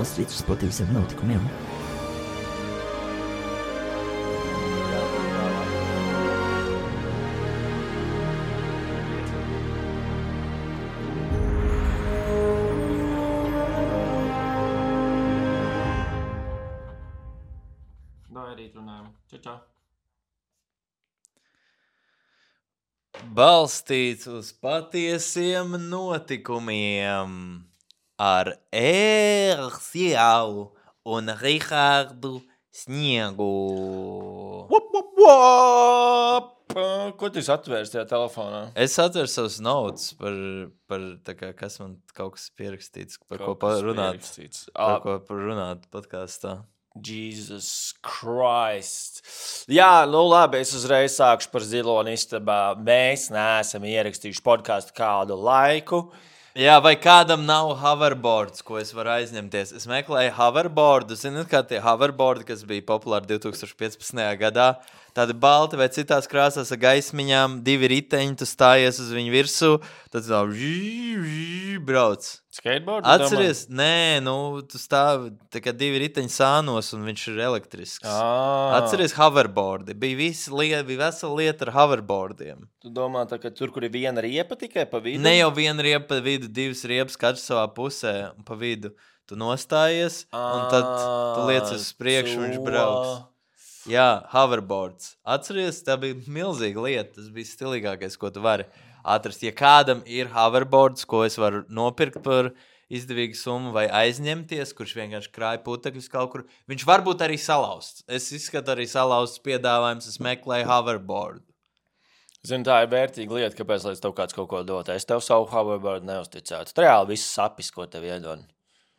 balstīts uz patiesiem notikumiem. Čau. Balstīts uz patiesiem notikumiem ar Ērsjau un Rihardu Sniegu. Ko tu atvērs tajā telefonā? Es atveru savus notes par tā kā, kas man kaut kas pierakstīts, par ko parunāt podkāstā. Jesus Christ. Jā, nu labi, es uzreiz sākšu par Ziloņu istabā. Mēs neesam ierakstījuši podkāstu kādu laiku. Jā, vai kādam nav hoverboards, ko es varu aizņemties? Es meklēju hoverboardu. Zināt, kā tie hoverboardi, kas bija populāri 2015. gadā? Tādi balti vai citās krāsās ar gaismiņām, 2 riteņi, tu stājies uz viņu virsū, tad tā brauc. Skateboard? Atceries? Nē, tu stāvi tā kā 2 riteņi sānos un viņš ir elektrisks. Atceries hoverboardi? Bija vesela lieta ar hoverboardiem. Tu domā, tā, ka tur, kur ir viena riepa tikai pa vidu? Ne jau viena riepa pa vidu, 2 riepas katrs savā pusē un pa vidu. Tu nostājies un tad tu liec uz priekšu un viņš brauks. Jā, hoverboards. Atceries, tā bija milzīga lieta. Tas bija stilīgākais, ko tu vari atrast. Ja kādam ir hoverboards, ko es varu nopirkt par izdevīgu summu vai aizņemties, kurš vienkārši krāja putekļus kaut kur, viņš varbūt arī salauzts. Es izskatu arī salauzts piedāvājums, es meklēju hoverboardu. Zini, tā ir vērtīga lieta, kāpēc lai tev kāds kaut ko dot. Es tev savu hoverboardu neuzticētu. Reāli viss sapis, ko tev iedod.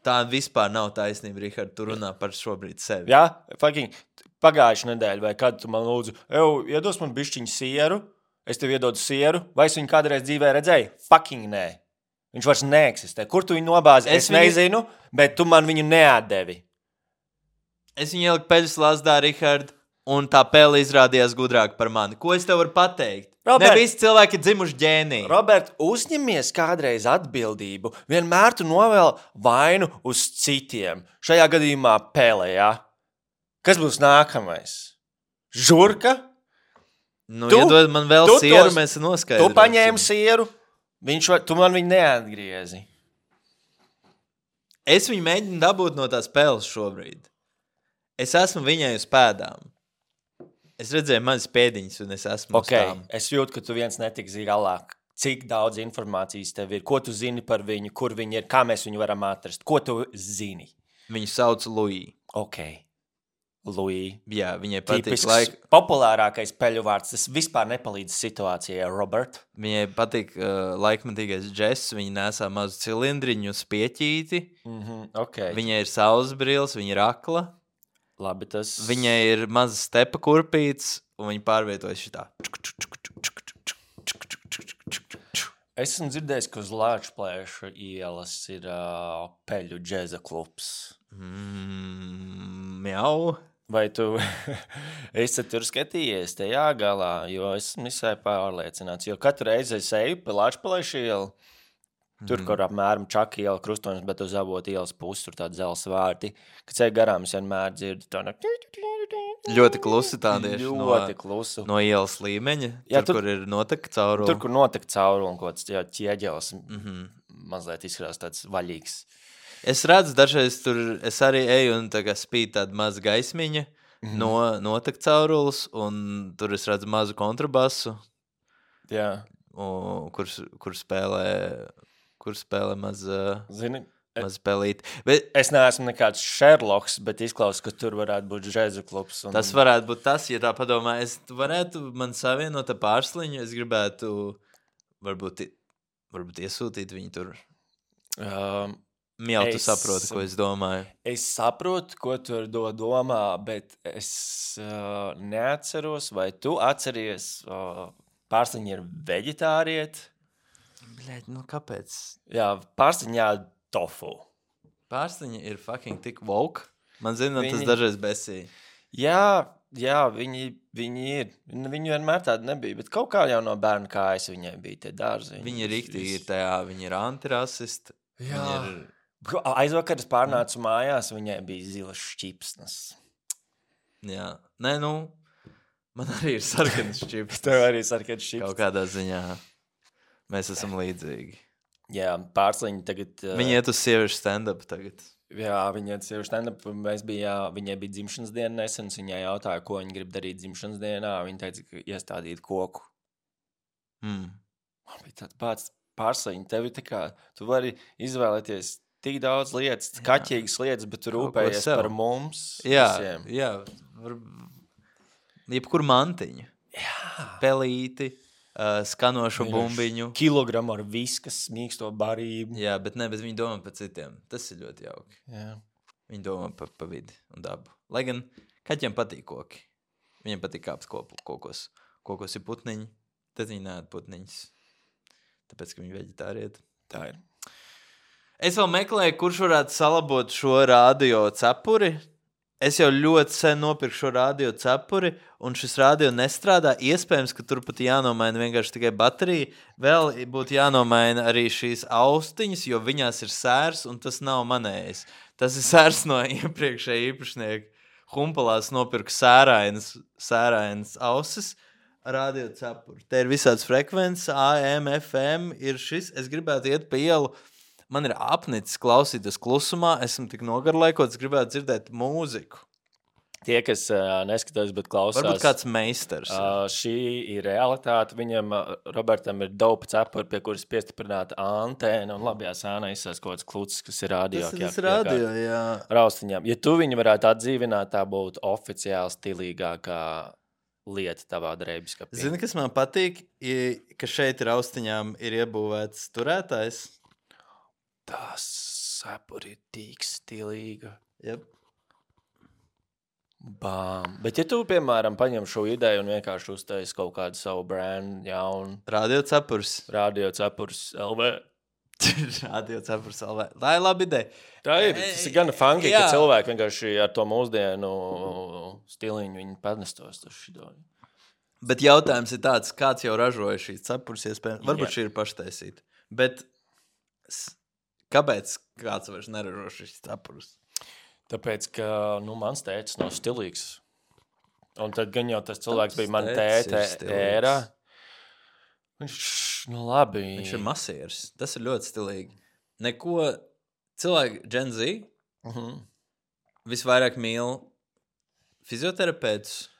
Tā vispār nav taisnība, Rihard, tu runā par šobrīd sevi. Jā, fucking pagājuši nedēļu, vai kad tu man lūdzu, iedos man bišķiņu sieru, es tev iedodu sieru, vai es viņu kādreiz dzīvē redzēju? Fucking nē. Viņš vairs neeksistē. Kur tu viņu nobāzi? Es nezinu, bet tu man viņu neatdevi. Es viņu ieliku peļas lazdā, Rihard, un tā pele izrādījās gudrāk par mani. Ko es tev varu pateikt? Robert, ne visi cilvēki ir dzimuši ģēniji. Robert, uzņemies kādreiz atbildību. Vienmēr tu novēl vainu uz citiem. Šajā gadījumā pele, jā? Kas būs nākamais? Žurka? Iedod man vēl sieru, mēs noskaidrosim. Tu paņēmi sieru, tu man viņu neatgriezi. Es viņu mēģinu dabūt no tās peles šobrīd. Es esmu viņai uz pēdām. Es redzēju manas pēdiņas, un es esmu uz tām. Es jūtu, ka tu viens netiks galā. Cik daudz informācijas tev ir? Ko tu zini par viņu? Kur viņi ir? Kā mēs viņu varam atrast? Ko tu zini? Viņu sauc Louis. Ok. Louis. Jā, viņai patīk populārākais peļu vārds. Tas vispār nepalīdz situācijai, Robert. Viņai patīk laikmatīgais džess. Viņa nesā mazu cilindriņu uz pieķīti. Okay. Viņai ir saules brilles, viņa ir akla. Labi, tas... Viņai ir maza stepa kurpīts, un viņa pārvietojas šitā. Es esmu dzirdējis, ka uz Lāčplēša ielas ir peļu džeza klubs. Jau. Vai tu esi tur skatījies tajā galā, jo esmu visai pārliecināts. Jo katru reizi es eju pa Lāčplēša ielu, tur, kur apmēram Čaka iela krustonis, bet uz Avotu ielas pusi, tur tādi zels vārti. Kad ceļ garām, es vienmēr dzirdu to ļoti klusi tādieši klusu. No ielas līmeņa, jā, kur ir notek cauruli. Tur, kur notek cauruli un kaut kāds ķieģelis mazliet izskatās tāds vaļīgs. Es redzu, dažreiz tur es arī eju un tā kā spīd tāda maza gaismiņa no notek caurulis, un tur es redzu mazu kontrabasu, kur spēlē maz pelīt. Bet es neesmu nekāds Sherlocks, bet izklausās, ka tur varētu būt džeza klubs. Tas varētu būt tas, ja tā padomā. Es varētu man savienot ar pārsliņu, es gribētu varbūt iesūtīt viņu tur. Tu saproti, ko es domāju. Es saprotu, ko tu domā, bet es neatceros, vai tu atceries, pārsliņa ir veģetārieti. Bļaļ, kāpēc? Jā, pārsliņā tofu. Pārsliņa ir fucking tik woke. Man zina, tas dažreiz besīja. Jā, viņi ir. Viņi vienmēr tādi nebija, bet kaut kā jau no bērna kājas viņai bija tie dārziņi. Viņi ir riktīgi, viņi ir antirasisti. Jā. Aizvakar es pārnācu mājās, viņai bija zilas šķipsnes. Jā. Nē, man arī ir sarkanas šķipsnes. Tev arī sarkanas šķipsnes. Kaut kādā ziņā mēs esam līdzīgi. Jā, Pārsliņa tagad... Viņa iet uz sieviešu stand-up tagad. Jā, viņa iet uz sieviešu stand-up. Viņai bija dzimšanas diena nesen. Viņai jautāja, ko viņa grib darīt dzimšanas dienā. Viņa teica, ka iestādīt koku. Man bija tāds pats Pārsliņa. Tevi tā kā, tu vari izvēlēties tik daudz lietas, kaķīgas lietas, bet tu rūpējies par mums. Jā, visiem. jā. Jebkur mantiņu. Jā. Pelīti, skanošu bumbiņu. Kilogramu ar viskas, mīksto barību. Jā, bet viņi domā par citiem. Tas ir ļoti jauki. Jā. Viņi domā par vidi un dabu. Lai gan kaķiem patīk koki. Viņiem patīk kāpt kokos. Kokos ir putniņi, tad viņi neēd putniņus. Tāpēc, ka viņi veģetārieti. Tā ir. Es vēl meklēju, kurš varētu salabot šo radio cepuri. Es jau ļoti sen nopirku šo radio cepuri, un šis radio nestrādā. Iespējams, ka tur pat jānomaina vienkārši tikai baterija. Vēl būtu jānomaina arī šīs austiņas, jo viņās ir sērs, un tas nav manējis. Tas ir sērs no iepriekšēja īpašnieka. Humpalās nopirku sērainas ausis radio cepuri. Te ir visāds frekvences, AM, FM ir šis. Es gribētu iet pa ielu. Man ir apnicis klausīties klusumā, esmu tik nogarlaikots, gribētu dzirdēt mūziku. Tie, kas neskatās, bet klausās... Varbūt kāds meistars. Šī ir realitāte. Viņam, Robertam, ir dopa cepuri, pie kuras piestiprināta antēna, un labajā sēnā izsās kaut kāds klucis, kas ir radio. Tas ir radio, jā. Raustiņām. Ja tu viņu varētu atdzīvināt, tā būtu oficiāli stilīgākā lieta tavā drēbiskapī. Zini, kas man patīk, ka šeit raustiņām ir iebūvēts turētājs? Tas cepuri ir tik stilīga. Yep. Bām. Bet ja tu, piemēram, paņem šo ideju un vienkārši uztaisi kaut kādu savu brand jaunu... Radio cepurs LV. Radio cepurs LV. Tā ir laba ideja. Tā ir. Tas ir gan funky, ka cilvēki vienkārši ar to mūsdienu stiliņu viņi padnestos. Bet jautājums ir tāds, kāds jau ražoja šīs cepurs iespējams. Varbūt šī ir paštaisīta. Bet... Kāpēc kāds vairs neražo šis cepurus? Tāpēc, ka mans tētis nav stilīgs. Un tad gan jau tas cilvēks bija man tēte ērā. Viņš, labi. Viņš ir masieris. Tas ir ļoti stilīgi. Neko cilvēki Gen Z visvairāk mīl fizioterapeitus.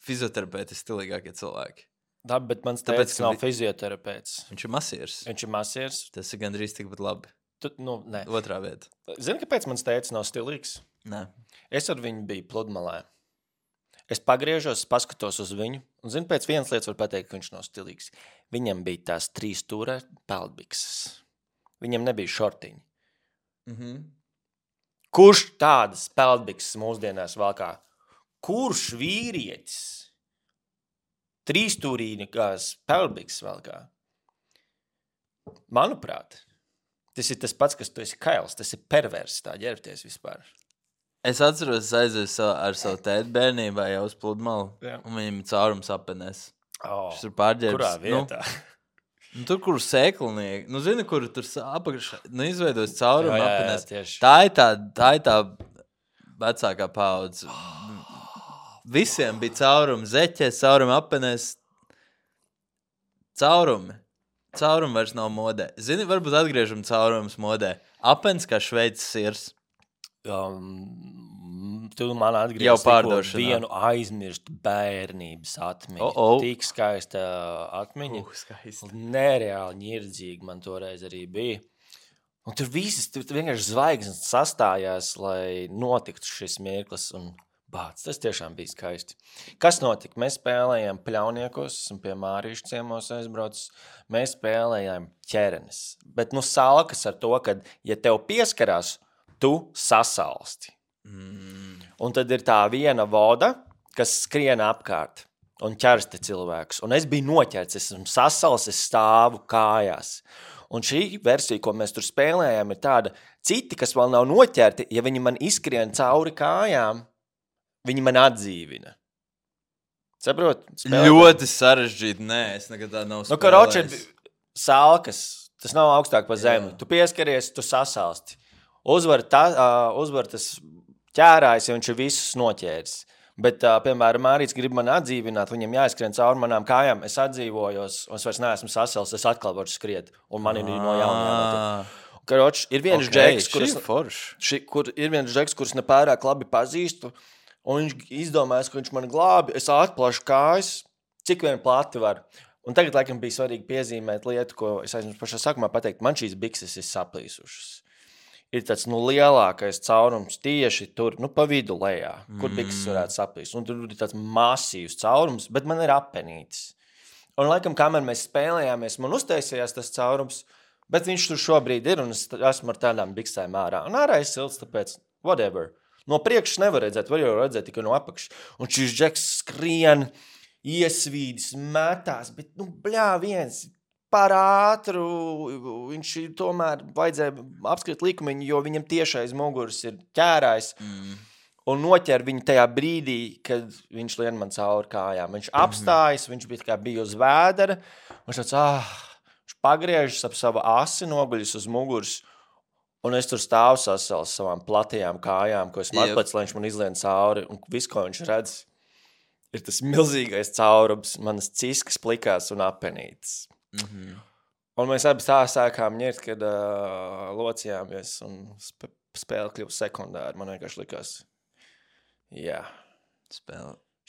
Fizioterapeiti ir stilīgākie cilvēki. Labi, bet mans tētis nav fizioterapeits. Viņš ir masieris. Tas ir gandrīz tikpat labi. Nē. Otrā vieta. Zini, kāpēc mans tētis nav stilīgs? Nē. Es ar viņu biju pludmalē. Es pagriežos, paskatos uz viņu, un zinu, pēc vienas lietas var pateikt, ka viņš nav stilīgs. Viņam bija tās 3 stūra peldbikses. Viņam nebija šortiņi. Kurš tādas peldbikses mūsdienās valkā? Kurš vīrietis 3-stūrīgās peldbikses valkā? Manuprāt, tas ir tas pats, kas tu esi kails. Tas ir pervers, tā ģērbties vispār. Es atceros, aizēju ar savu tēti bērnībā jau uz pludmali. Jā. Un viņam ir caurums apenēs. Šis ir pārģērbs. Kurā vietā? Tur, kur sēklinieki. Zini, kur tur apakšā izveidojas caurumu apenēs. Tieši. Tā ir tā vecākā paudze. Visiem bija caurumi zeķēs, caurumi apenēs. Caurumi vairs nav modē. Zini, varbūt atgriežam caurumus modē. Apens kā šveicis sirs. Tu man atgriežas vienu aizmirstu bērnības atmiņu. Tik skaista atmiņa. Skaista. Nereāli ņirdzīgi man toreiz arī bija. Un tur vienkārši zvaigznes sastājās, lai notiktu šis mirklis un bāc, tas tiešām bija skaisti. Kas notika? Mēs spēlējām pļauniekos, esmu pie Mārīšu ciemos aizbraucis. Mēs spēlējām ķerenes. Bet salkas ar to, ka, ja tev pieskarās, tu sasalsti. Un tad ir tā viena voda, kas skrien apkārt un ķersta cilvēkus. Un es biju noķerts, es esmu sasals, es stāvu kājās. Un šī versija, ko mēs tur spēlējām, ir tāda, citi, kas vēl nav noķerti, ja viņi man izskrien cauri kājām, viņi man atdzīvina. Saprot? Ļoti sarežģīti. Nē, es nekad tā nav spēlējis. Karoči, salkas, tas nav augstāk pa zemi. Tu pieskaries, tu sasalsti. uzvar tas ķērājs, ja viņš ir visus noķēris. Bet, piemēram, Mārīts grib mani atdzīvināt, viņam jāizskrien cauri manām kājām, es atdzīvojos, un es vairs neesmu sasals, es atkal varu skriet, un man ir no jauna jānotiek. Karoč, ir viens džeks, kurus nepārāk labi pazīstu, un viņš izdomājas, ka viņš mani glābi, es atplašu kājas, cik vien plati var. Un tagad, laikam, bija svarīgi piezīmēt lietu, ko es aizmirsu pašā sākumā pateikt, man šīs bikses ir saplīsušas. Ir tāds, lielākais caurums tieši tur, pa vidu lejā, kur bikses varētu saplīst. Un tur ir tāds masīvs caurums, bet man ir apenītis. Un, laikam, kamēr mēs spēlējāmies, man uztaisījās tas caurums, bet viņš tur šobrīd ir, un es esmu ar tādām biksēm ārā. Un ārā ir silts, tāpēc whatever. No priekšas nevar redzēt, var jau redzēt tikai no apakšas. Un šis džeks skrien, iesvīdis, metās, bet, viens... Par ātru, viņš tomēr vajadzēja apskriet likumiņu, jo viņam tiešais muguras ir ķērājs un noķer viņu tajā brīdī, kad viņš lien man cauri kājām. Viņš apstājas, viņš bija uz vēdera, viņš viņš pagriežas ap savu asi, noguļas uz muguras, un es tur stāvu sasals savām platajām kājām, ko esmu atpēc, lai viņš man izlien cauri, un viss, ko viņš redz, ir tas milzīgais caurums, manas ciskas plikās un apenītes. Un mēs abi sākām ņirt, kad locījāmies un spēle kļuva sekundāri. Man vienkārši likās,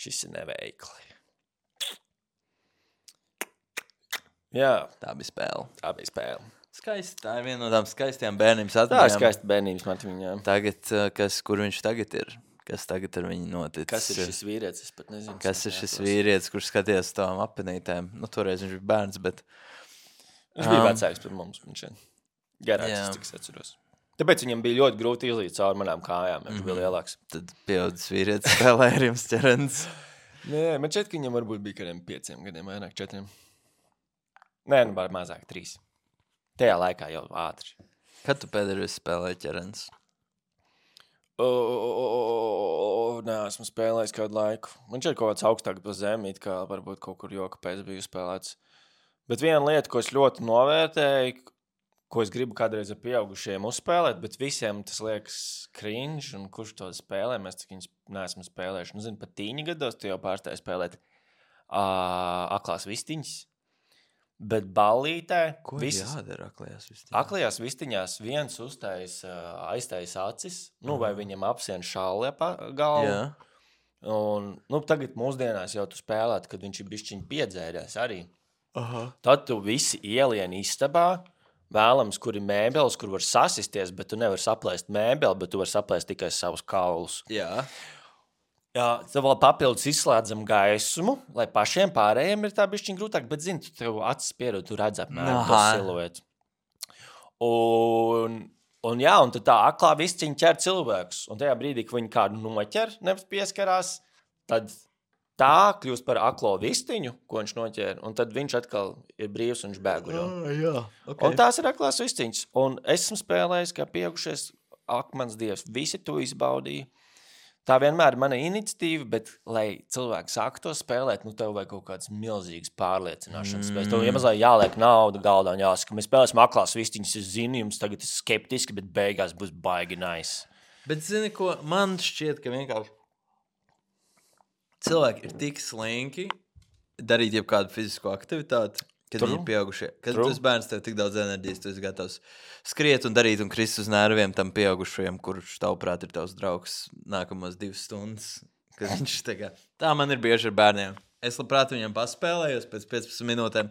šis ir neveikli. Jā. Tā bija spēle. Skaisti, tā ir viena no tām skaistām bērnības atmiņām. Tā ir skaista bērnības atmiņām. Tagad, kur viņš tagad ir? Kas tagad ar viņu noticis? Kas ir šis vīrietis? Es pat nezinu. Kas ir šis vīrietis, kurš skatījās tām apenītēm? Toreiz viņš bija bērns, bet... Viņš bija vecāks par mums. Viņš garāks, cik es atceros. Tāpēc viņam bija ļoti grūti izlīt cauri manām kājām, ja viņš bija lielāks. Tad pieaudzis vīrietis spēlē ar jums ķerens. Nē, man šķiet, ka viņam varbūt bija kādiem 5 gadiem, vairāk 4. Nē, mazāk 3. Tajā laikā jau ātri. Kad tu pēdējais spēlēji ķerens? Nē, esmu spēlējis kādu laiku. Man šķiet kaut kāds augstāk pa zemi, kā varbūt kaut kur joka pēc biju spēlēts. Bet viena lieta, ko es ļoti novērtēju, ko es gribu kādreiz ar pieaugušiem uzspēlēt, bet visiem tas liekas cringe, un kurš to spēlē, mēs cik viņus neesam spēlējuši. Zinu, pat tīņa gados tu jau pārstāji spēlēt aklās vistiņas. Bet ballītē... Ko jādara aklajās vistiņās? Aklajās vistiņās viens aiztais acis, vai viņam apsien šāli galvu. Jā. Un, tagad mūsdienās jau tu spēlēt, kad viņš ir bišķiņ piedzēries arī. Aha. Tad tu visi ielien istabā, vēlams, kur ir mēbeles, kur var sasisties, bet tu nevar saplēst mēbeli, bet tu var saplēst tikai savus kaulus. Jā. Jā, tad vēl papildus izslēdzam gaismu, lai pašiem pārējiem ir tā bišķiņ grūtāk, bet zini, tu tev acis pierod, tu redz apmēram to siluetu. Un tad tā aklā visciņa ķer cilvēkus, un tajā brīdī, ka viņi kādu noķer, nevis pieskarās, tad tā kļūst par aklo vistiņu, ko viņš noķēra, un tad viņš atkal ir brīvs un viņš bēguļo. Jā, okay. Un tās ir aklās vistiņas, un esmu spēlējis, kā pieaugušies akmens dievs, visi to izbaudīja. Tā vienmēr ir mana iniciatīva, bet, lai cilvēki sāku to spēlēt, tev vajag kaut kāds milzīgs pārliecināšanas spēles. Tev iemazāk jāliek nauda galdā un jāsaka, mēs spēlēsim aklās vistiņas, es zinu, jums tagad ir skeptiski, bet beigās būs baigi nice. Bet zini, ko man šķiet, ka vienkārši cilvēki ir tik slinki darīt jebkādu fizisko aktivitāti, kad viņi ir pieaugušie. Kad tu esi bērns, tev tik daudz enerģijas, tu esi gatavs skriet un darīt un krist uz nerviem tam pieaugušajam, kurš tavuprāt ir tavs draugs nākamos 2 stundas. Kad viņš tā man ir bieži ar bērniem. Es labprāt viņam paspēlējos pēc 15 minūtēm.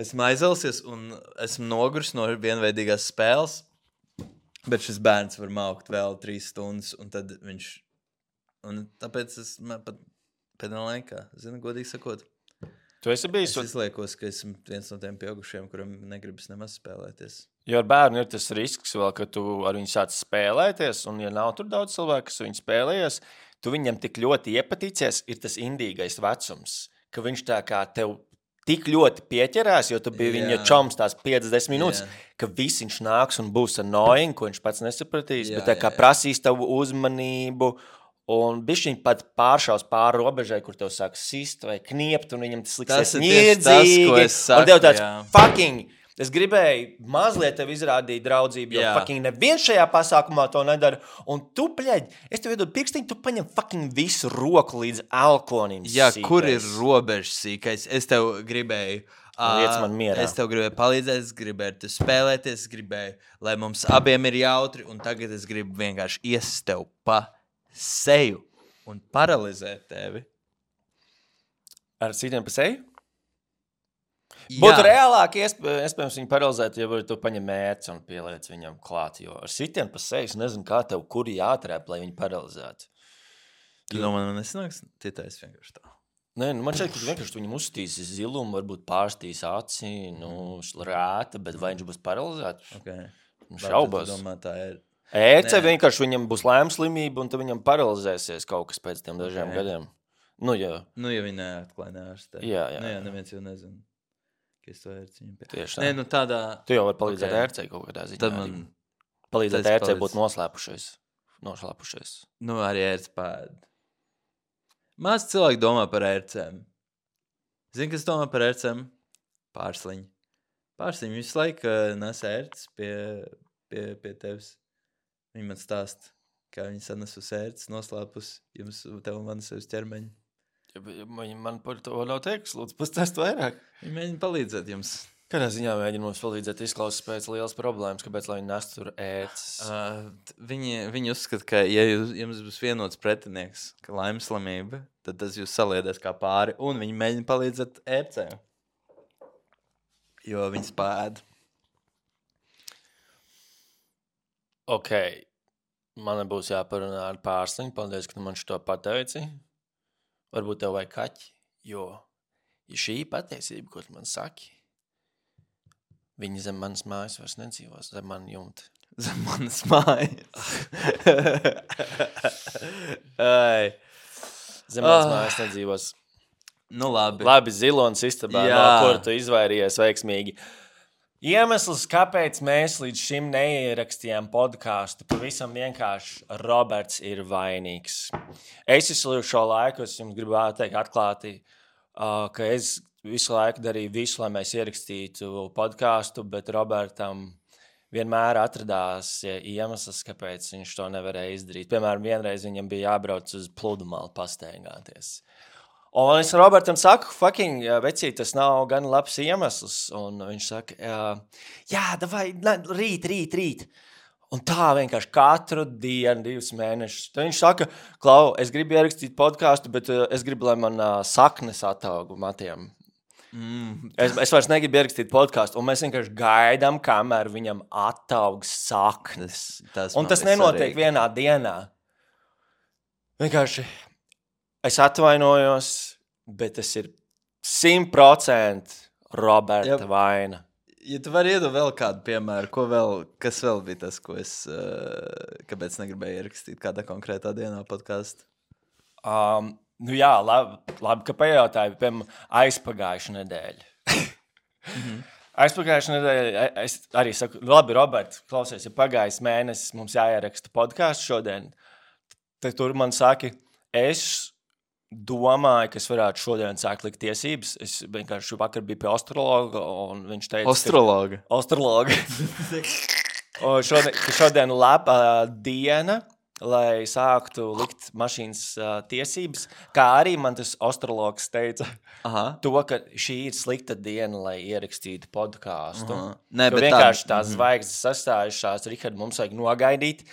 Esmu aizvelsies un esmu noguris no vienveidīgās spēles, bet šis bērns var maukt vēl 3 stundas un tad viņš... Un tāpēc es pat pēdējā laikā, godīgi sakot, tu esi bijis... Es izliekos, ka esmu viens no tiem pieaugušiem, kuram negribas nemaz spēlēties. Jo ar bērnu ir tas risks vēl, ka tu ar viņu sāc spēlēties, un ja nav tur daudz cilvēku, kas viņu spēlējies, tu viņam tik ļoti iepatīcies, ir tas indīgais vecums, ka viņš tā kā tev tik ļoti pieķerās, jo tu biji viņa čoms tās 50 minūtes, ka viss viņš nāks un būs annoying, ko viņš pats nesapratīs, bet tā kā prasīs tavu uzmanību, un bišķiņ pat pāršaus pāri robežai, kur tev sāk sist vai kniept, un viņam tas liksies niedzīgi. Un tev tāds fucking Es gribēju mazliet tev izrādīt draudzību, jo Jā. fucking neviens šajā pasākumā to nedara. Un tu, bļaļ, es tev iedodu pirkstiņu, tu paņem fucking visu roku līdz alkonim. Jā, sīkais. kur ir robežas sīkais? Es tev gribēju. Liec man mierā. Es tev gribēju palīdzēt, es gribēju tu spēlēties, es gribēju, lai mums abiem ir jautri, un tagad es gribu vienkārši iest tev pa seju un paralizēt tevi. Ar citiem pa seju? Būtu reālāk, iespējams, viņu paralizēt, ja tu paņem mērci un pieliec viņam klāt. Jo ar sitiem pa seju es nezinu, kā tev kuri jāatrēp, lai viņu paralizētu. Tu domā, man nesanāks titais vienkārši tā. Nē, man šķiet, ka vienkārši viņam uzstīs zilumu, varbūt pārstīs aci, rēta, bet vai viņš būs paralizēts? Okay. Šaubos. Domā, tā ir. Ēce vienkārši viņam būs lēmslimība, un tad viņam paralizēsies kaut kas pēc tiem dažiem gadiem. Ja viņi neatklāja neārstē. Jā. Neviens jau nezina. Es to ērciņu pie. Tieši tā. Nē, tādā... Tu jau vari palīdzēt ērcei kaut kādā ziņā. Tad man... Palīdzēt ērcei būt noslēpušies. Arī ērts pēd. Maz cilvēki domā par ērcēm. Zini, kas domā par ērcēm? Pārsliņi. Pārsliņi visu laiku nes ērts pie tevis. Viņi man stāst, kā viņi sanes uz ērts, noslēpus tev un manis uz ķermeņa. Man par to nav teiks, lūdzu, pastāst vairāk. Viņi mēģina palīdzēt jums. Kādā ziņā mēģina mums palīdzēt izklausās pēc lielas problēmas, kāpēc, lai viņi nestu tur ētas? Viņi uzskata, ka, ja jums būs vienots pretinieks, ka laimslamība, tad tas jūs saliedēs kā pāri, un viņi mēģina palīdzēt ērcēm. Jo viņi spēd. Ok, man būs jāparunā ar pārsliņu, paldies, ka tu man šo pateici. Varbūt tev vajag kaķi, jo šī patiesība, ko tu man saki, viņi zem manas mājas vairs nedzīvos, zem man jumta. Zem manas mājas. Zem manas mājas nedzīvos. Nu labi. Labi, Zilonas istabā, no kur tu izvairījies veiksmīgi. Iemesls, kāpēc mēs līdz šim neierakstījām podkāstu, pavisam vienkārši Roberts ir vainīgs. Es visu šo laiku, es jums gribētu teikt atklāti, ka es visu laiku darīju visu, lai mēs ierakstītu podkāstu, bet Robertam vienmēr atradās iemesls, kāpēc viņš to nevarēja izdarīt. Piemēram, vienreiz viņam bija jābrauc uz Pludmali pastaigāties. Un es Robertam saku, fucking, vecīt, tas nav gan labs iemesls. Un viņš saka, davai, rīt. Un tā vienkārši katru dienu, 2 mēnešus. Tad viņš saka, Klau, es gribu ierakstīt podkāstu, bet es gribu, lai man saknes ataugu matiem. Es vairs negribu ierakstīt podkāstu, un mēs vienkārši gaidām, kamēr viņam ataugs saknes. Un tas nenotiek vienā dienā. Vienkārši... Es atvainojos, bet tas ir 100% Roberta vaina. Ja tu vari iedot vēl kādu piemēru, kas vēl bija tas, ko es, kāpēc negribēju ierakstīt kādā konkrētā dienā podcastu? Labi, ka pajautāju, piemēram, aizpagājušu nedēļu. Aizpagājušu nedēļu, es arī saku, labi, Robert, klausies, ja pagājis mēnesis, mums jāieraksta podcastu šodien. Tad tur man saki, es domāju, ka es varētu šodien sākt likt tiesības. Es vienkārši vakar biju pie astrologa, un viņš teica... Astrologa. Šodien laba diena, lai sāktu likt mašīnas tiesības, kā arī man tas astrologs teica, to, ka šī ir slikta diena, lai ierakstītu podkāstu. Vienkārši tās zvaigznes sastājušās, Rihard, mums vajag nogaidīt.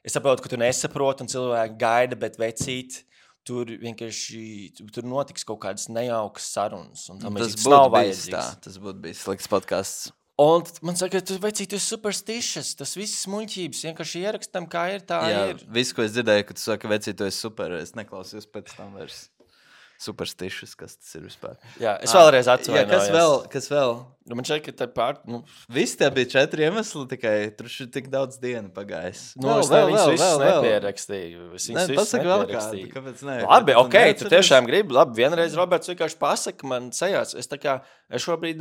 Es saprotu, ka tu nesaproti, un cilvēki gaida, bet vecīt, tur notiks kaut kādas nejaukas sarunas. Tas būtu bijis slikts podcasts. Un man saka, tu esi superstitious, tas viss muļķības, vienkārši ierakstam, kā ir, tā ir. Viss, ko es dzirdēju, ka tu saki, vecīt, tu esi super, es neklausījos pēc tam vairs. Superstitious, kas tas ir vispār. Jā, es vēlreiz atvainojos. Kas vēl? Man šeit, ka Visi tie bija 4 iemesli, tikai tur ir tik daudz dienu pagājis. Es visus nepierakstīju. Pasaka vēl kādu, kāpēc ne? Labi, tu tiešām gribi. Labi, vienreiz Roberts vienkārši pasaka man sejās. Es šobrīd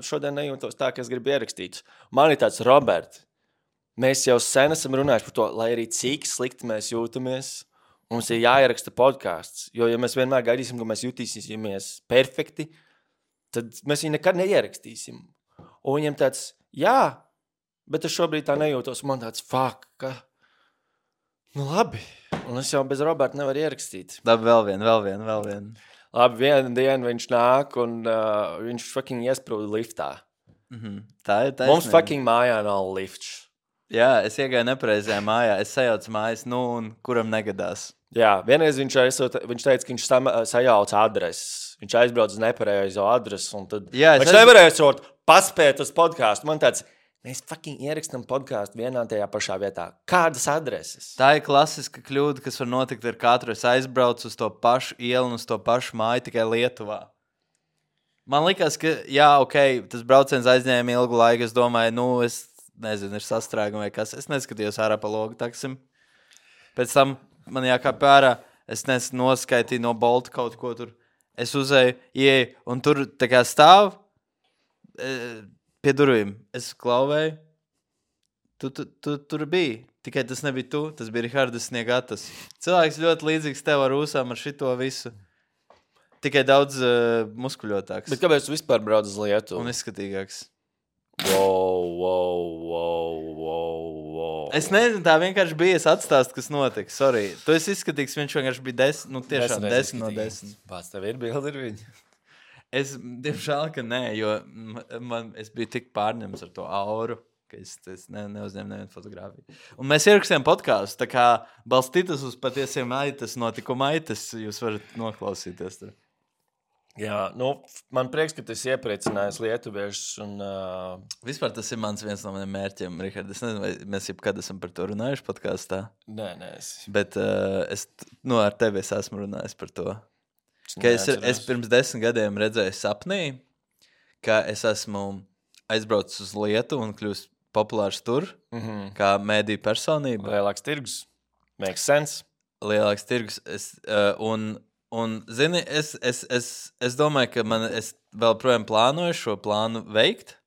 šodien nejūtos tā, ka es gribu ierakstīt. Man ir tāds, Robert, mēs jau sen esam runājuši par to, lai arī cik slikti mēs jūtamies. Mums ir jāieraksta podcasts, jo ja mēs vienmēr gaidīsim, ka mēs jutīsimies perfekti, tad mēs viņu nekad neierakstīsim. Un viņam tāds, jā, bet es šobrīd tā nejūtos. Man tāds, fuck, ka... Nu labi. Un es jau bez Roberta nevaru ierakstīt. Labi, vēl vien. Labi, vienu dienu viņš nāk un viņš fucking iesprūda liftā. Tā ir taisnība. Mums fucking mājā nav lifts. Jā, es iegāju nepareizajā mājā. Es sajaucu mājas, un kuram negadās. Jā, vienreiz viņš teica, ka viņš sajauca adreses. Viņš aizbrauc uz nepareizo adresi un tad viņš nevarēja paspēt uz podcastu. Man tāds... Mēs fucking ierakstam podcastu vienā tajā pašā vietā. Kādas adreses? Tā ir klasiska kļūda, kas var notikt ar katru. Es aizbraucu uz to pašu ielu un uz to pašu māju tikai Lietuvā. Man likās, ka, jā, ok, tas brauciens aizņēma ilgu laiku. Es domāju, es nezinu, ir sastrēgumi vai kas. Es neskatījos ārā pa logu taksim. Pēc tam man jākāp ārā. Es noskaitīju no Bolta kaut ko tur. Es uzēju, ieeju un tur tā kā stāv... Pie durvīm. Es klauvēju. Tu tur biji. Tikai tas nebija tu. Tas bija Rihardas Sniegatas. Cilvēks ļoti līdzīgs tev ar ūsām, ar šito visu. Tikai daudz muskuļotāks. Bet kāpēc tu vispār brauc uz Lietuvu? Un izskatīgāks. Wow. Es nezinu, tā vienkārši bija. Es atstāstu, kas notika. Sorry. Tu esi izskatīgs, viņš vienkārši bija 10. Tiešām 10 no 10. Pats tev ir bildi ar viņu? Es, diemžēl, ka nē, jo es biju tik pārņemts ar to auru, ka es neuzņēmu nevienu fotogrāfiju. Un mēs ierakstījām podcastu, tā kā balstītas uz patiesiem aitas, notikuma aitas, jūs varat noklausīties tur. Jā, man prieks, ka tas iepriecinājis lietuviešus un... Vispār tas ir viens no maniem mērķiem, Rihard. Es nezinu, vai mēs jebkad esam par to runājuši podkastā. Nē. Bet ar tevi es esmu runājis par to. Ka es pirms 10 gadiem redzēju sapnī, ka es esmu aizbraucis uz Lietuvu un kļūst populārs tur, kā mēdīju personība. Lielāks tirgus. Makes sense. Lielāks tirgus. Un zini, es domāju, ka es vēl projām plānoju šo plānu veikt.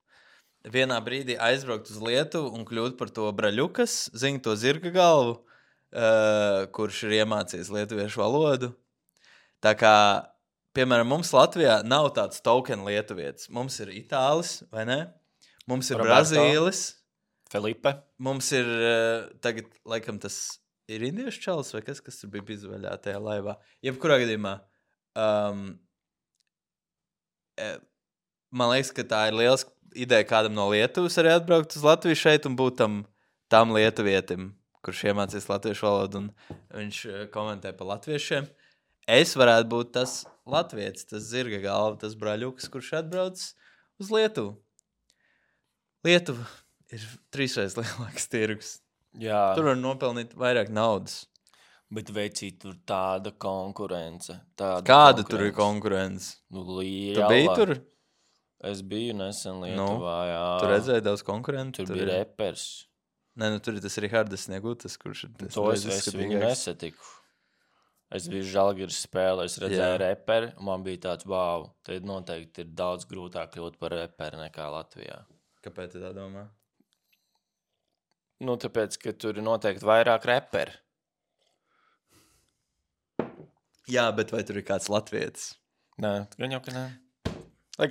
Vienā brīdī aizbraukt uz Lietuvu un kļūt par to Braļukas, zini, to zirga galvu, kurš ir iemācījis lietuviešu valodu. Tā kā, piemēram, mums Latvijā nav tāds token lietuvietis. Mums ir Itālis, vai ne? Mums ir Roberto. Brazīlis. Felipe. Mums ir, tagad, laikam, tas ir indiešu čalis vai kas tur bija izvaļā tajā laivā. Jebkurā gadījumā, man liekas, ka tā ir liels ideja kādam no Lietuvas arī atbraukt uz Latviju šeit un būt tam lietuvietim, kurš iemācīs latviešu valodu un viņš komentē par latviešiem. Es varētu būt tas latvietis, tas zirga galva, tas Braļuks, kurš atbrauc uz Lietuvu. Lietuva ir 3 reizes lielāks tirgus. Jā. Tur var nopelnīt vairāk naudas. Bet veicīt tur tāda konkurence. Kāda tur ir konkurence? Liela. Tu biji tur? Es biju nesen Lietuvā, jā. Tu redzēji daudz konkurentu? Tur bija repers. Nē, tur ir tas Rihardas Sniegutas, kurš ir tas. To es viņu nesatiku. Es biju Žalgiris spēlē, es redzēju reperi, un man bija tāds, wow, tad noteikti ir daudz grūtāk kļūt par reperi nekā Latvijā. Kāpēc tu tā domā? Tāpēc, ka tur ir noteikti vairāk reperi. Jā, bet vai tur ir kāds latvietis? Nē, gan jau, ka nē.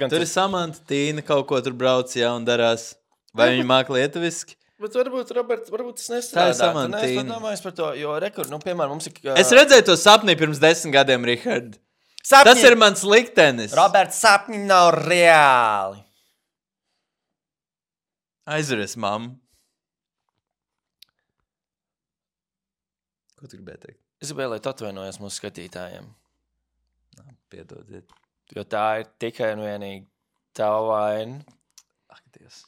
Tur ir Samanta, Tīna, kaut ko tur brauc, un darās. Vai viņi māk lietuviski? Bet varbūt, Robert, tas nestrādā. Tā ir Samanta, Tīna. Es domāju par to, jo piemēram, mums ir... Es redzēju to sapnī pirms 10 gadiem, Rihard. Tas ir mans liktenis. Robert, sapņi nav reāli. Aizveries, mamma. Ko tu gribēji teikt? Es gribēju, lai tu atvainojies mūsu skatītājiem. Piedodiet. Jo tā ir tikai un vienīgi tava vaina. Ak, Dievs.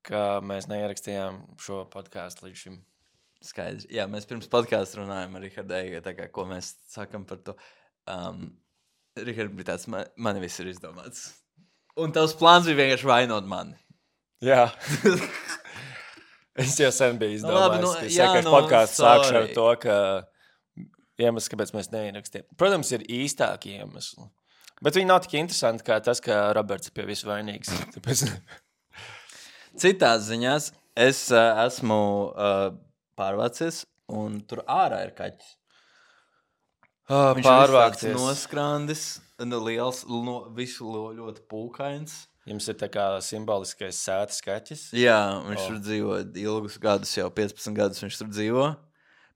Ka mēs neierakstījām šo podcastu līdz šim. Skaidrs. Jā, mēs pirms podcastu runājam ar Rihardu, ko mēs sakam par to. Rihards bija tāds, mani viss ir izdomāts. Un tavs plāns bija vienkārši vainot mani. Jā. Es jau sen biju izdomājis, ka sēkais podcasts sākšu ar to, ka iemesls, kāpēc mēs neierakstījām. Protams, ir īstāki iemesli. Bet viņi nav tik interesanti kā tas, ka Roberts ir pie visu vainīgs. Tāpēc... Citās ziņās es esmu pārvācies, un tur ārā ir kaķis. Viņš pārvācies. Noskrandis, liels, visu ļoti pūkains. Jums ir tā kā simboliskais sētas kaķis. Jā, viņš tur dzīvo ilgus gadus, jau 15 gadus viņš tur dzīvo.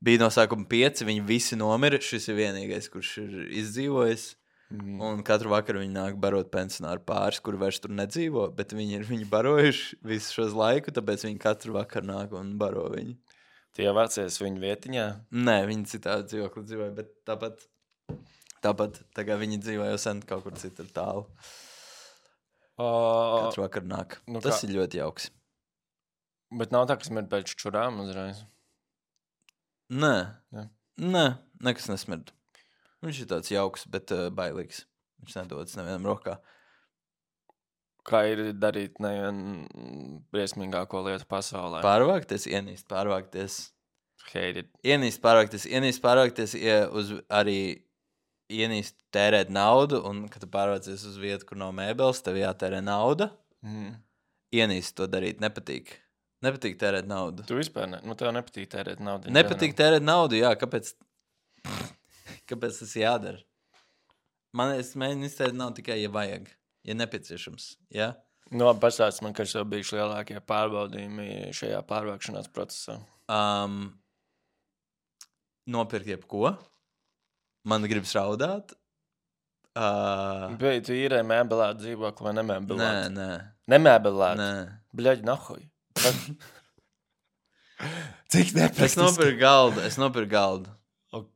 Bija no sākuma 5, viņi visi nomira. Šis ir vienīgais, kurš ir izdzīvojis. Un katru vakaru viņi nāk barot pensionāru pāris, kuri vairs tur nedzīvo, bet viņi ir viņu barojuši visu šos laiku, tāpēc viņi katru vakaru nāk un baro viņu. Tie vācies viņu vietiņā? Nē, viņi citādi dzīvokli dzīvoja, bet tāpat tagad viņi dzīvo jau sen kaut kur citur tālu. Katru vakaru nāk. Tas ir ļoti jauks. Bet nav tā, kas mir pēc čurām uzreiz? Nē, nekas nesmird. Viņš ir tāds jauks, bet bailīgs. Viņš nedodas nevienam rokā. Kā ir darīt briesmīgāko lietu pasaulē? Pārvākties, ienīst pārvākties. Hated. Ienīst pārvākties, arī ienīst tērēt naudu, un, kad tu pārvācies uz vietu, kur nav mēbeles, tev jātērē nauda. Ienīst to darīt, nepatīk. Nepatīk tērēt naudu. Tu vispār tev nepatīk tērēt naudu. Nepatīk tērēt naudu, jā, kāpēc tas jādara? Es mēģinu iztērēt naudu tikai, ja vajag, ja nepieciešams, jā? Pastāst man, kas jau bijuši lielākie pārbaudījumi šajā pārvākšanās procesā. Nopirkt jebko. Man gribas raudāt. Bet tu īrē mēbelētu dzīvokli vai nemēbelētu? Nē. Nemēbelētu? Nē. Bļaļ, nahuj. Cik nepraktiski? Es nopirku galdu.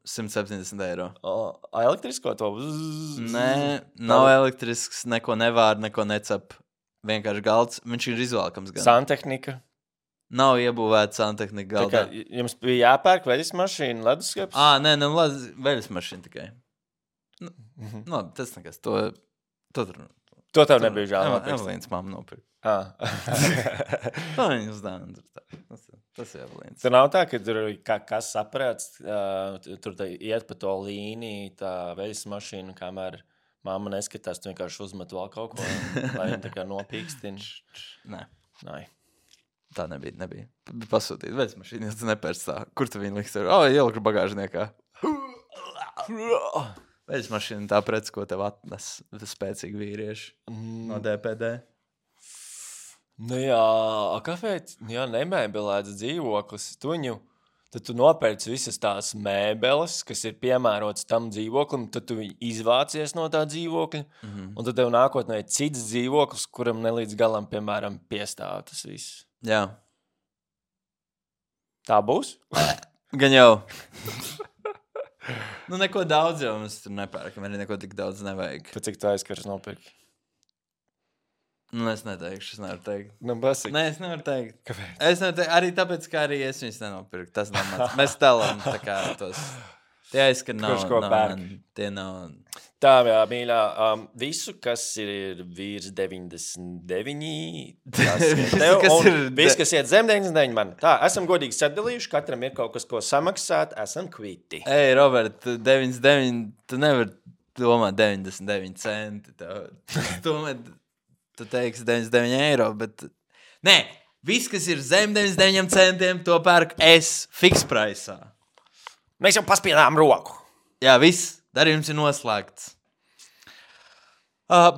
170 eiro. Elektrisko to? Nē, nav elektrisks, neko nevār, neko necap. Vienkārši galds. Viņš ir izvēlkams gan. Santehnika? Nav iebūvēta santehnika galdā. Jums bija jāpērk veļas mašīna, leduskaps? Nē, veļas mašīna tikai. Tas nekas. To tev nebija žēl nopirkt. Evelīnas mamma nopirka. Viņa uzdāvina. Tas ir Evelīnas. Tur nav tā, ka tur kas saprāts, tur iet pa to līniju, tā veļas mašīna, kamēr mamma neskatās, tu vienkārši uzmet vēl kaut ko, lai viņa tā kā nopīkstina. Nē. Tā nebija. Pasūtīt veļas mašīnu, ja tu nepērc tā. Kur tu viņu liks? Ieliku bagāžniekā. Veļas mašīna tā preci, ko tev atnes spēcīgi vīrieši no DPD. Kāpēc? Nemēbelēts dzīvoklis. Tad tu nopērci visas tās mēbeles, kas ir piemērotas tam dzīvoklim, tad tu izvācies no tā dzīvokļa, un tad tev nākotnē ir cits dzīvoklis, kuram nelīdz galam, piemēram, piestāv tas viss. Jā. Tā būs? Gan jau. Neko daudz jau mums tur nepērkam, arī neko tik daudz nevajag. Pat cik tu aizskars nopirki? Es neteikšu, es nevaru teikt. Basik. Nē, es nevaru teikt. Kāpēc? Es nevaru teikt, arī tāpēc, ka arī es viņus nenopirku. Tas nav mans. Mēs telam tā kā tos. Tie aizskar nav. Kurš ko pērk? Tie nav. Tā, jā, mīļā, visu, kas ir vīrs 99, viss, kas iet zem 99, man. Tā, esam godīgi sadalījuši, katram ir kaut kas, ko samaksāt, esam kviti. Ei, Robert, 99, tu nevar domāt 99 centi. Tu teiksi 99 eiro, bet... Nē, viss, kas ir zem 99 centiem, to pērk es fiks praisā. Mēs jau paspiedām roku. Jā, viss. Darījums ir noslēgts.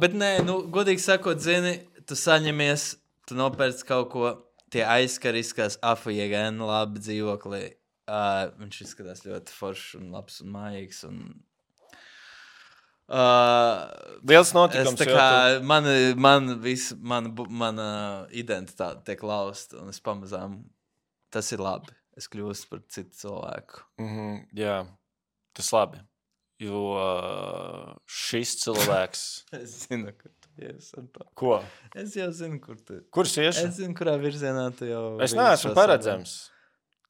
Bet nē, godīgi sakot, zini, tu saņemies, tu nopērc kaut ko, tie aizskariskās AFIGN labi dzīvoklī. Viņš izskatās ļoti foršs un labs un mājīgs. Liels notikums. Mana identitāte tiek lausta, un es pamazām, tas ir labi. Es kļūstu par citu cilvēku. Jā, tas labi. Jo šis cilvēks... Es zinu, kur tu ies ar to. Ko? Es jau zinu, kur tu... Kur es iešu? Es zinu, kurā virzienā tu jau... Es neesmu paredzams.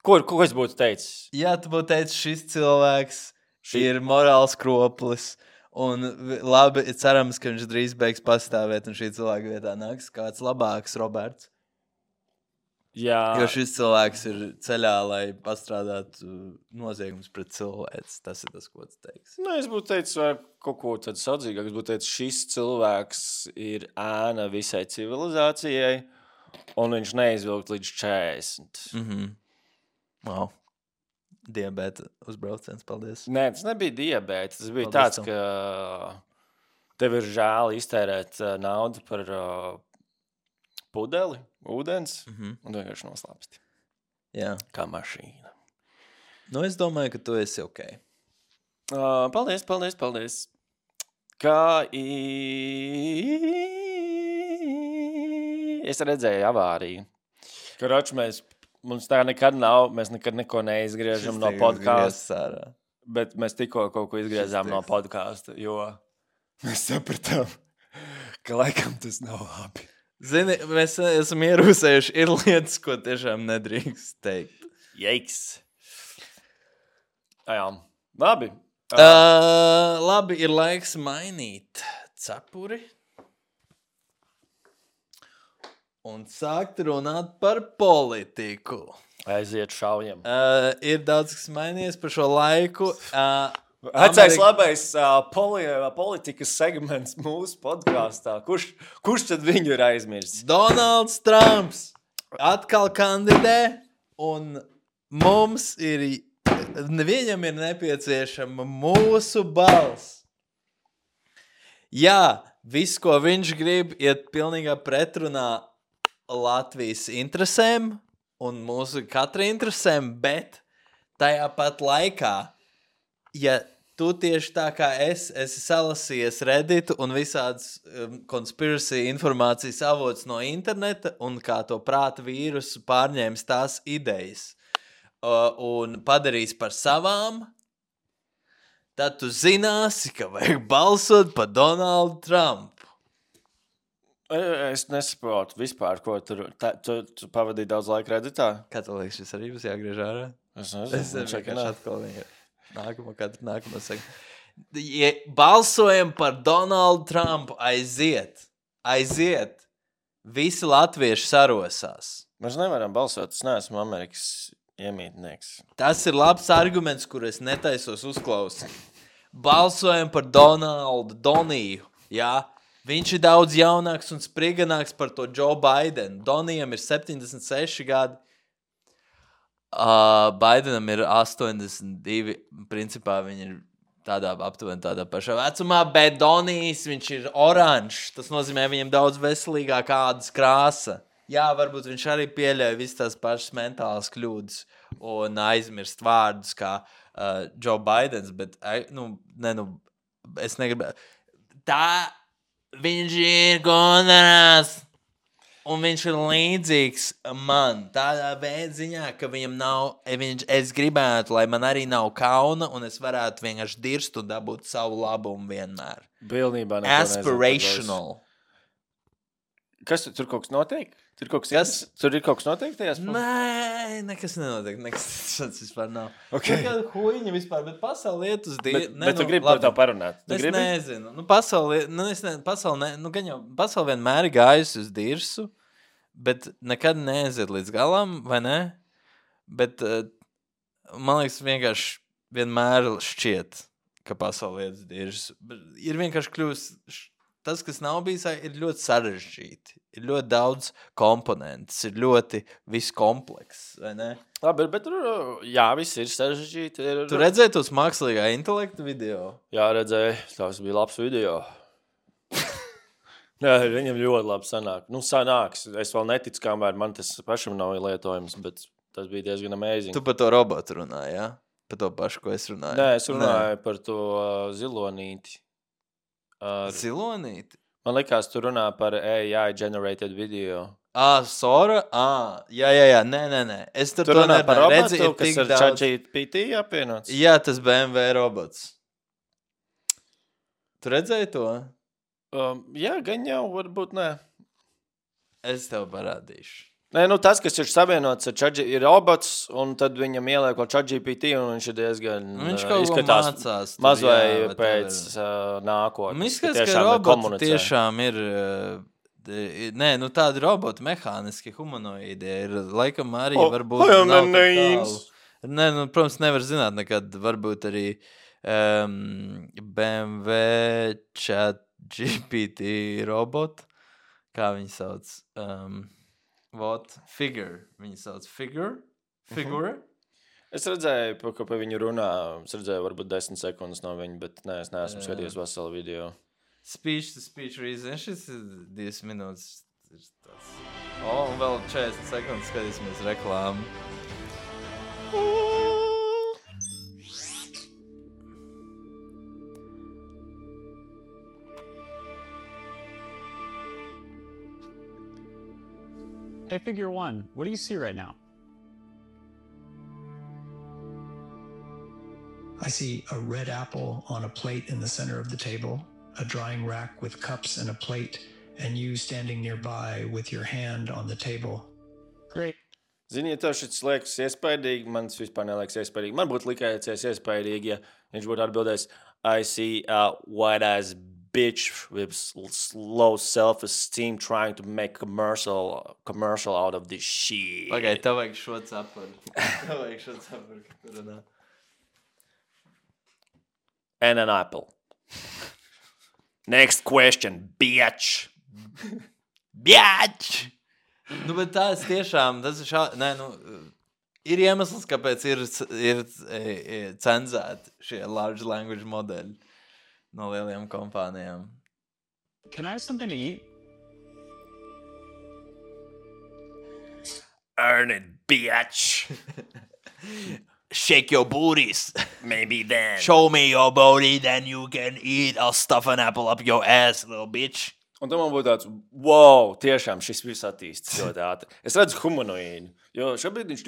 Ko es būtu teicis? Jā, tu būtu teicis, šis cilvēks ir morāls kroplis. Un labi, cerams, ka viņš drīz beigs pastāvēt un šī cilvēka vietā nāks kāds labāks Roberts. Jā. Jo šis cilvēks ir ceļā, lai pastrādātu noziegums pret cilvēks. Tas ir tas, ko tu teiksi. Es būtu teicis kaut ko tādu saudzīgāk. Es būtu teicis, šis cilvēks ir ēna visai civilizācijai, un viņš neizvilkt līdz 40. Wow. Diabēta uzbrauciens, paldies. Nē, tas nebija diabēta. Tas bija Paldies tāds, ka Tev ir žēl iztērēt naudu par pudeli, ūdens, un vienkārši noslāpsti. Jā. Kā mašīna. Nu, es domāju, ka tu esi ok. Paldies. Es redzēju avāriju. Karoči, mums tā nekad nav, mēs nekad neko neizgriežam no podkāsta. Bet mēs tikko kaut ko izgriezām no podkāsta, jo mēs sapratām, ka laikam tas nav labi. Zini, mēs esam ierūsējuši, ir lietas, ko tiešām nedrīkst teikt. Jeiks. Jā, labi. Labi, ir laiks mainīt cepuri un sākt runāt par politiku. Aiziet šaujam. Ir daudz, kas mainījies par šo laiku. Vecais labais politikas segments mūsu podkāstā. Kurš tad viņu ir aizmirsis? Donalds Trumps atkal kandidē, un viņam ir nepieciešama mūsu balss. Jā, viss, ko viņš grib, iet pilnīgā pretrunā Latvijas interesēm un mūsu katra interesēm, bet tajā pat laikā, ja tu tieši tā kā esi salasījies Redditu un visādas conspiracy informācijas avots no interneta un kā to prāta vīrusu pārņēmis tās idejas un padarīs par savām, tad tu zināsi, ka vajag balsot par Donaldu Trumpu. Es nesaprotu vispār, ko tu pavadīji daudz laika Redditā. Kā tu liekas, šis arī būs jāgriež ārā? Es nezinu. Es vienkārši atkal nākamo saka. Ja balsojam par Donaldu Trumpu, aiziet. Visi latvieši sarosās. Mēs nevaram balsot, es neesmu Amerikas iemītnieks. Tas ir labs arguments, kur es netaisos uzklausīt. Balsojam par Doniju, jā. Viņš ir daudz jaunāks un spriganāks par to Joe Bidenu. Donijam ir 76 gadi. Bidenam ir 82. Principā viņi ir aptuveni tādā pašā vecumā, bet Donijs, viņš ir oranžs. Tas nozīmē, viņam daudz veselīgāk ādas krāsa. Jā, varbūt viņš arī pieļauj visas tās pašas mentālas kļūdas un aizmirst vārdus kā Joe Bidens, bet es negribu. Tā viņš ir kontrās, un viņš ir līdzīgs man. Tādā ziņā, ka viņam nav, es gribētu, lai man arī nav kauna, un es varētu vienkārši dirst un dabūt savu labumu vienmēr. Pilnībā aspirational. Kas tur kaut kas notiek? Tur ir kaut kas notiek tajās? Nē, nekas nenotiek. Nekas tāds vispār nav. Okay. Kāda huīņa vispār, bet pasauli iet uz Bet tu gribi par to parunāt? Es nezinu. Pasauli vienmēr ir gājusi uz dirsu, bet nekad neaiziet līdz galam, vai ne? Bet man liekas, vienkārši vienmēr šķiet, ka pasauli iet uz dirsu. Ir vienkārši kļūst... Tas, kas nav bijis, ir ļoti sarežģīti. Ir ļoti daudz komponentus, ir ļoti viss komplekss, vai ne? Labi, bet jā, viss ir sarežģīti. Tu redzēji tos mākslīgā intelekta video? Jā, redzēju. Tas bija labs video. Jā, viņam ļoti labi sanāk. Sanāks. Es vēl neticu, kamēr man tas pašam nav lietojams, bet tas bija diezgan amazing. Tu par to robotu runāji, jā? Par to pašu, ko es runāju? Nē, es runāju par to zilonīti. Zilonīti? Man likās, tu runā par AI generated video. Sora? Jā. Nē. Es tur runā par robotu, kas ar ChatGPT apvienots? Jā, tas BMW robots. Tu redzēji to? Jā, gan jau, varbūt nē. Es tev parādīšu. Nē, tas, kas ir savienots ar ChatGPT, ir robots, un tad viņam ieliek vēl ChatGPT, un viņš ir diezgan izskatās mācās, mazvai pēc nākotnes. Izskatās, ka roboti tiešām ir... Nē, tādi roboti mehāniski humanoīdi ir, laikam arī varbūt nav tik tālu. Nē, protams, nevar zināt nekad, varbūt arī BMW ChatGPT robot, kā viņi sauc... Figure. Viņi sauc Figure. Es redzēju, ka pa viņu runā. Es redzēju varbūt 10 sekundes no viņa, bet nē, es neesmu skatījies veselu video. Speech to speech reason. Šis ir 2 minūtes. Un vēl 40 sekundes skatīsimies reklāmu. Hey, Figure One, what do you see right now? I see a red apple on a plate in the center of the table, a drying rack with cups and a plate, and you standing nearby with your hand on the table. Great. Zini, ja tev šis liekas iespaidīgi, man tas vispār neliekas iespaidīgi. Man būtu likējies iespaidīgi, ja viņš būtu atbildējis, I see a white-ass bitch with low self-esteem trying to make commercial out of this shit. Pagaid, tev vajag šo cepuri. Runā. And an apple. Next question, bitch. Bitch! Nu, bet tas tiešām, tas ir ir iemesls, kāpēc ir cenzēti šie large language modeļi no lielajām kompānijām. Can I have something to eat? Earn it, bitch. Shake your booties. Maybe then. Show me your booty, then you can eat. I'll stuff an apple up your ass, little bitch. Un tam man būtu tāds, wow, tiešām šis viss attīstīts ļoti ātri. Es redzu humanoīdu, jo šobrīd viņš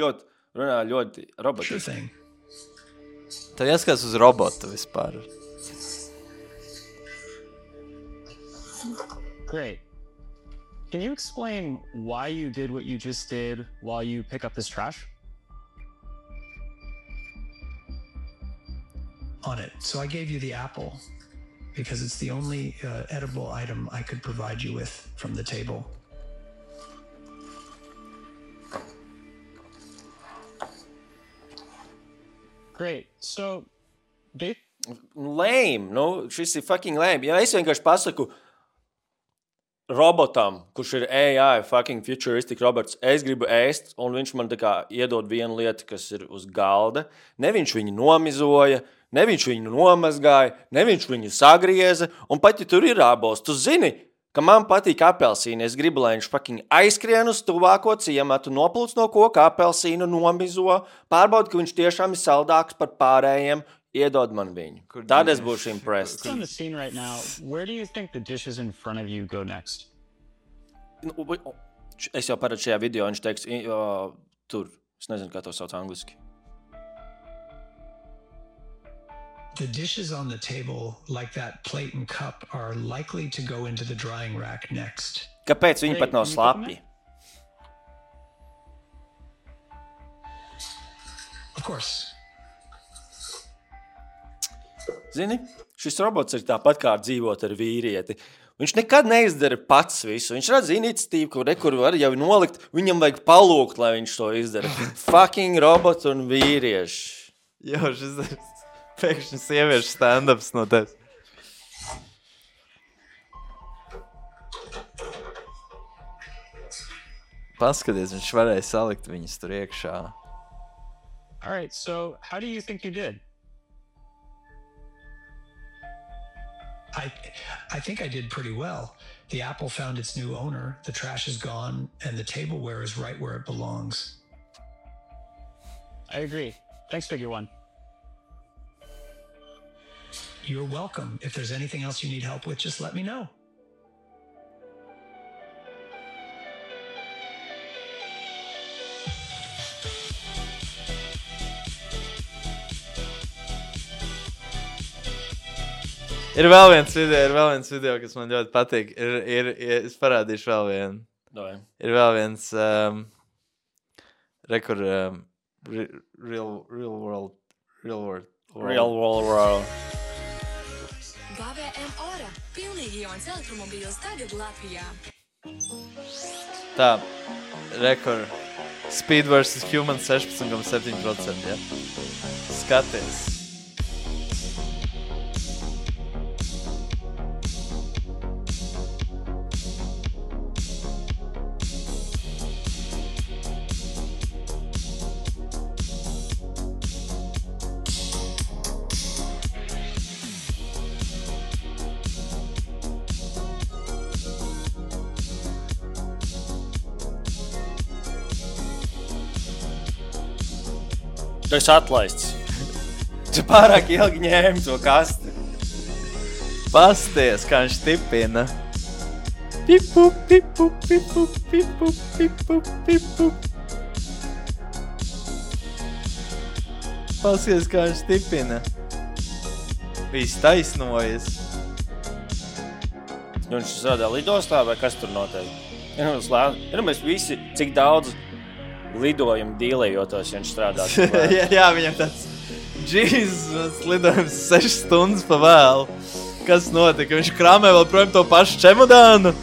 runā ļoti robotiski. Sure thing. Tev jāskatās uz robotu vispār. Great. Can you explain why you did what you just did while you pick up this trash? On it. So I gave you the apple because it's the only edible item I could provide you with from the table. Great. So, Lame, šis ir fucking lame. Ja es vienkārši pasaku robotam, kurš ir AI, fucking futuristic robots, es gribu ēst, un viņš man tā kā iedod vienu lietu, kas ir uz galda. Ne viņš viņu nomizoja, ne viņš viņu nomazgāja, ne viņš viņu sagrieza, un pat ja tur ir ābols, tu zini, ka man patīk apelsīni, es gribu, lai viņš fucking aizskrien uz tuvāko ciematu, noplūc no koka apelsīnu, nomizo, pārbauda, ka viņš tiešām ir saldāks par pārējiem, iedod man viņu. Tad es būšu impressed. on the scene right now, where do you think the dishes in front of you go next? Es jau parādu šajā video, viņš teiks, tur, es nezinu, kā to sauc angliski. The dishes on the table, like that plate and cup, are likely to go into the drying rack next. Kāpēc viņi pat nav slapi? Of course. Zini, šis robots ir tāpat kā dzīvot ar vīrieti. Viņš nekad neizdara pats visu. Viņš redz iniciatīvu, kur var jau nolikt, viņam vajag palūgt, lai viņš to izdara. Fucking robots un vīrieši. Jo, šis ir pēkšņi sieviešu stand-ups no tevis. Paskaties, viņš varēja salikt viņus tur iekšā. All right, so how do you think you did? I think I did pretty well. The apple found its new owner, the trash is gone, and the tableware is right where it belongs. I agree. Thanks, Figure One. You're welcome. If there's anything else you need help with, just let me know. Ir vēl viens video, kas man ļoti patīk. Es parādīšu vēl vienu. Dai. Ir vēl viens real world. GVM Ora – pilnīgi jauns elektromobīls tagad Latvijā. Tā, Speed vs. Human 16,7%, ja? Skaties. Tu esi atlaists. Tu pārāk ilgi ņēmi to kasti. Pasties, kā viņš tipina. Pipu, pipu, pipu, pipu, pipu, pipu. Pasties, kā viņš tipina. Viss taisnojas. Viņš strādā lidostā vai kas tur notiek? Mēs visi, cik daudz lidojumu dīlējotos, ja viņš strādā. jā, viņam tāds Jesus lidojums 6 stundas pa vēlu. Kas notika? Viņš krāmē vēl projām to pašu čemodānu.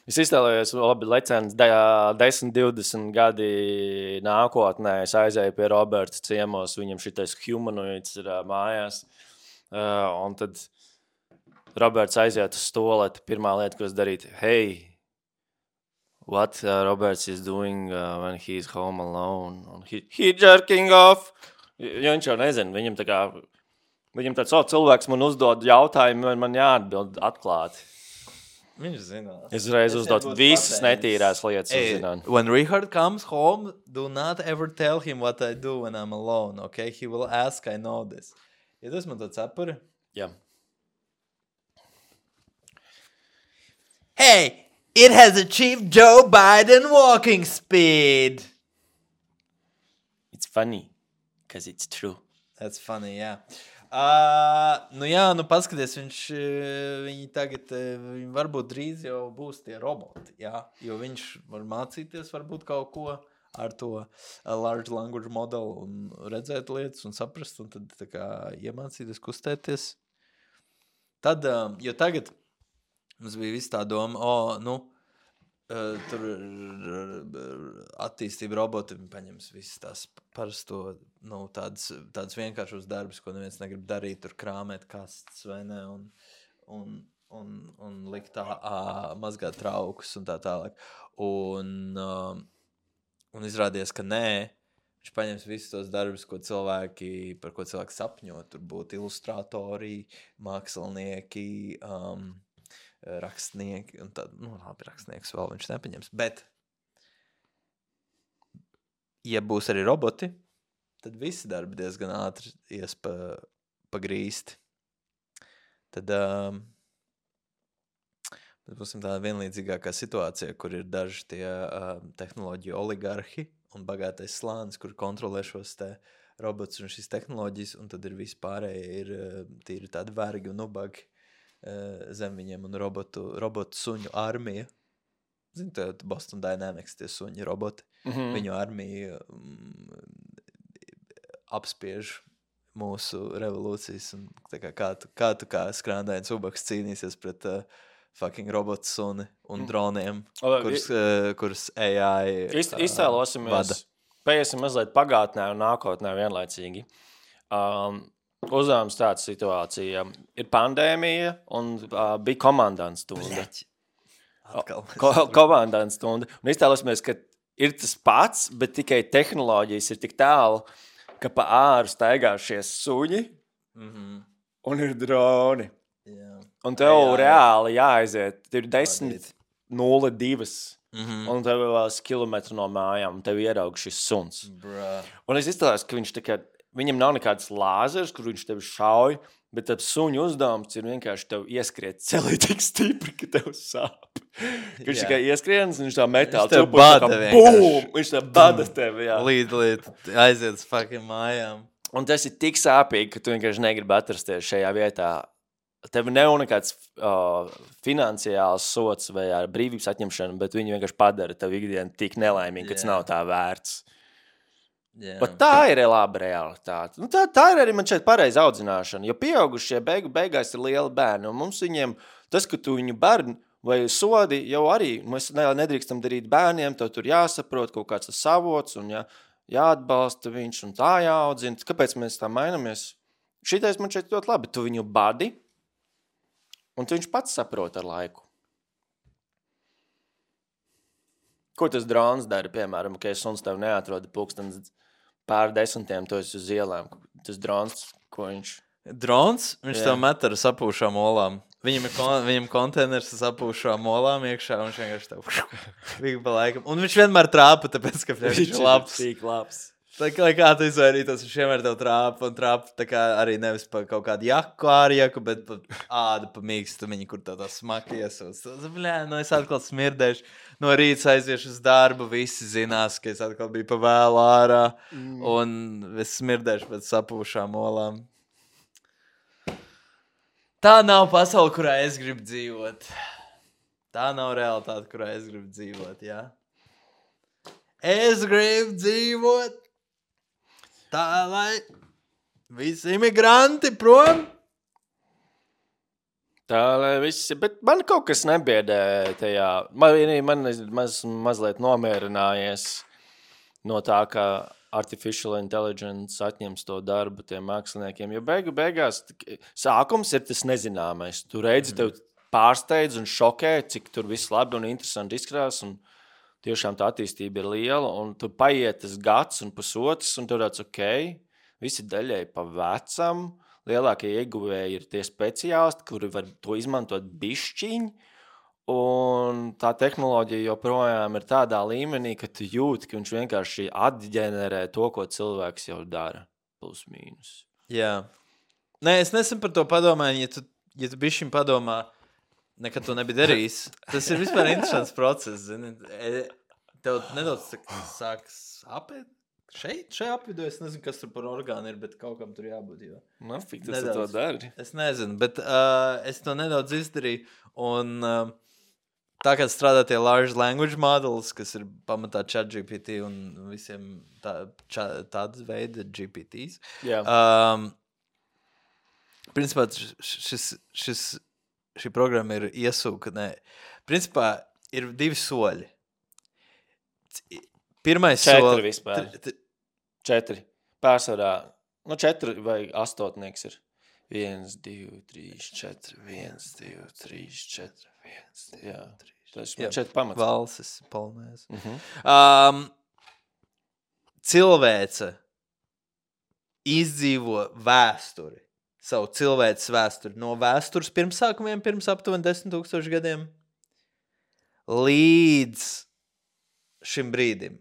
Es iztēlējos, labi, lecens 10-20 gadi nākotnē. Es aizēju pie Roberta ciemos, viņam šitais humanoids ir mājās. Un tad Roberts aiziet uz stoleti. Pirmā lieta, ko es darītu, hey, what Roberts is doing when he's home alone? He jerking off. Jo viņš jau nezina, viņam tāds cilvēks man uzdod jautājumu, man jāatbild atklāti. Viņš zina. Es reiz uzdot visas netīrās lietas. When Richard comes home, do not ever tell him what I do when I'm alone, okay? He will ask, I know this. Ja tas man tāds apuri? Jā. Hey, it has achieved Joe Biden walking speed. It's funny, because it's true. That's funny, jā. Paskaties, viņi tagad, viņi varbūt drīz jau būs tie roboti, jā, jo viņš var mācīties varbūt kaut ko ar to large language modelu un redzēt lietas un saprast, un tad tā kā iemācīties kustēties. Tad, jo tagad mums bija viss tā doma, tur attīstība roboti paņems visas tās parasto, tādas vienkāršos darbus, ko neviens negrib darīt, tur krāmēt kastes vai ne, un likt tā mazgāt traukus un tā tālāk. Un izrādījās, ka nē, viņš paņems visus tos darbus, par ko cilvēki sapņo, tur būtu ilustratori, mākslinieki, rakstnieki un tad, rakstnieks vēl viņš nepaņems, bet ja būs arī roboti, tad visi darbi diezgan ātri ies pagrīsti. Tad būsim tā vienlīdzīgākā situācija, kur ir daži tie tehnoloģiju oligarhi un bagātais slānis, kur kontrolē šos te robotus un šīs tehnoloģijas, un tad ir vispārēji ir tīri tādi vergi un ubagi zem viņiem un robotu suņu armija. Zini, Boston Dynamics, tie suņi roboti. Mm-hmm. Viņu armija apspiež mūsu revolūcijas. Un kā tu kā skrāndains ubaks cīnīsies pret fucking robotu suni un droniem, kurus AI iztēlosimies, paiesim mazliet pagātnē un nākotnē vienlaicīgi. Uzdevums tāda situācija. Ir pandēmija un bija komandants stunda. Komandants stunda. Un iztēlosimies, ka ir tas pats, bet tikai tehnoloģijas ir tik tālu, ka pa āru staigā šie suņi un ir droni. Yeah. Un tev reāli jāaiziet. Tur ir 10:02. Un tev ir vēl kilometru no mājām, un tev ieraug šis suns. Un es iztēlos, ka viņš viņam nav nekāds lāzers, kur viņš tevi šauj, bet tad suņu uzdevums ir vienkārši tev ieskriet celī tik stipri, ka tev sāp. Viņš tikai ieskrienas, un viņš tā metāli čupu, viņš tā bada tevi, jā. Līd, aiziet uz fucking mājām. Un tas ir tik sāpīgi, ka tu vienkārši negribi atrasties šajā vietā. Tev nav nekāds finansiāls sots vai brīvības atņemšana, bet viņi vienkārši padara tev ikdienu tik nelaimīgi, ka tas nav tā vērts. Yeah. Bet tā ir laba realitāte. Tā ir arī man šeit pareiza audzināšana, jo pieaugušie beigās ir lieli bērni, un mums viņiem, tas, ka tu viņu bērni vai sodi, jau arī mēs nedrīkstam darīt bērniem, tev tur jāsaprot kaut kāds tas savots, un jāatbalsta viņš, un tā jāaudzina. Kāpēc mēs tā mainamies? Šitais man šeit ļoti labi, tu viņu badi, un tu viņš pats saprot ar laiku. Ko tas drons dara, piemēram, ka suns tev neatroda pulkstens pār 10, tu esi uz ielām. Tas drons, ko viņš... Drons? Viņš tev met ar sapūšām olām. Viņam konteiners ar sapūšām olām iekšā, un viņš vienkārši tev vīgi pa laikam. Un viņš vienmēr trāpa, tāpēc, ka viņš ir labs. Tik labs. Tā kā tu izvairītos, viņš vienmēr tev trāpa, tā kā arī nevis pa kaut kādu jaku ārjaku, bet pa ādu pa mīkstumiņu, kur tā smaki iesūc. Es atkal smirdēšu, no rīta aiziešu uz darbu, visi zinās, ka es atkal biju pa vēlu ārā, un es smirdēšu pēc sapūšām olām. Tā nav pasaule, kurā es gribu dzīvot. Tā nav realitāte, kurā es gribu dzīvot, jā. Es gribu dzīvot tā, lai visi imigranti prom. Tā, lai visi, bet man kaut kas nebiedē tajā. Man mazliet nomierinājies no tā, ka artificial intelligence atņems to darbu tiem māksliniekiem, jo beigās sākums ir tas nezināmais. Tu redzi, tev pārsteidz un šokē, cik tur viss labi un interesanti izskatās, un tiešām tā attīstība ir liela, un tu paiet tas gads un pusotrs, un tu redz, visi daļai pa vecam, lielākie ieguvēji ir tie speciālisti, kuri var to izmantot bišķiņi, un tā tehnoloģija joprojām ir tādā līmenī, ka tu jūti, ka viņš vienkārši atģenerē to, ko cilvēks jau dara, plus mīnus. Jā. Nē, es nesen par to padomāju, ja tu bišķiņ padomā, nekad to nebija darījis. Tas ir vispār interesants process, zini. Tev nedaudz sāks apēt. Šajā apvidū es nezinu, kas tur par orgānu ir, bet kaut kam tur jābūt. Jo. Fik, tas nedaudz, to dari. Es nezinu, bet es to nedaudz izdarīju. Un tā kā strādā tie large language models, kas ir pamatā ChatGPT un visiem tādas veida GPTs. Jā. Principā šī programma ir iesūka. Principā ir 2 soļi. Pirmais 4 solis. Vispār. 4. Pārsvarā. 4 vai 8 ir. 1, 2, 3, 4. 1, 2, 3, 4. 1, 2, 3. Jā. Tas ir 4 pamats. Valsis, polnēs. Cilvēce izdzīvo vēsturi. Savu cilvēces vēsturi. No vēstures pirmsākumiem, pirms aptuveni 10,000 gadiem. Līdz šim brīdim.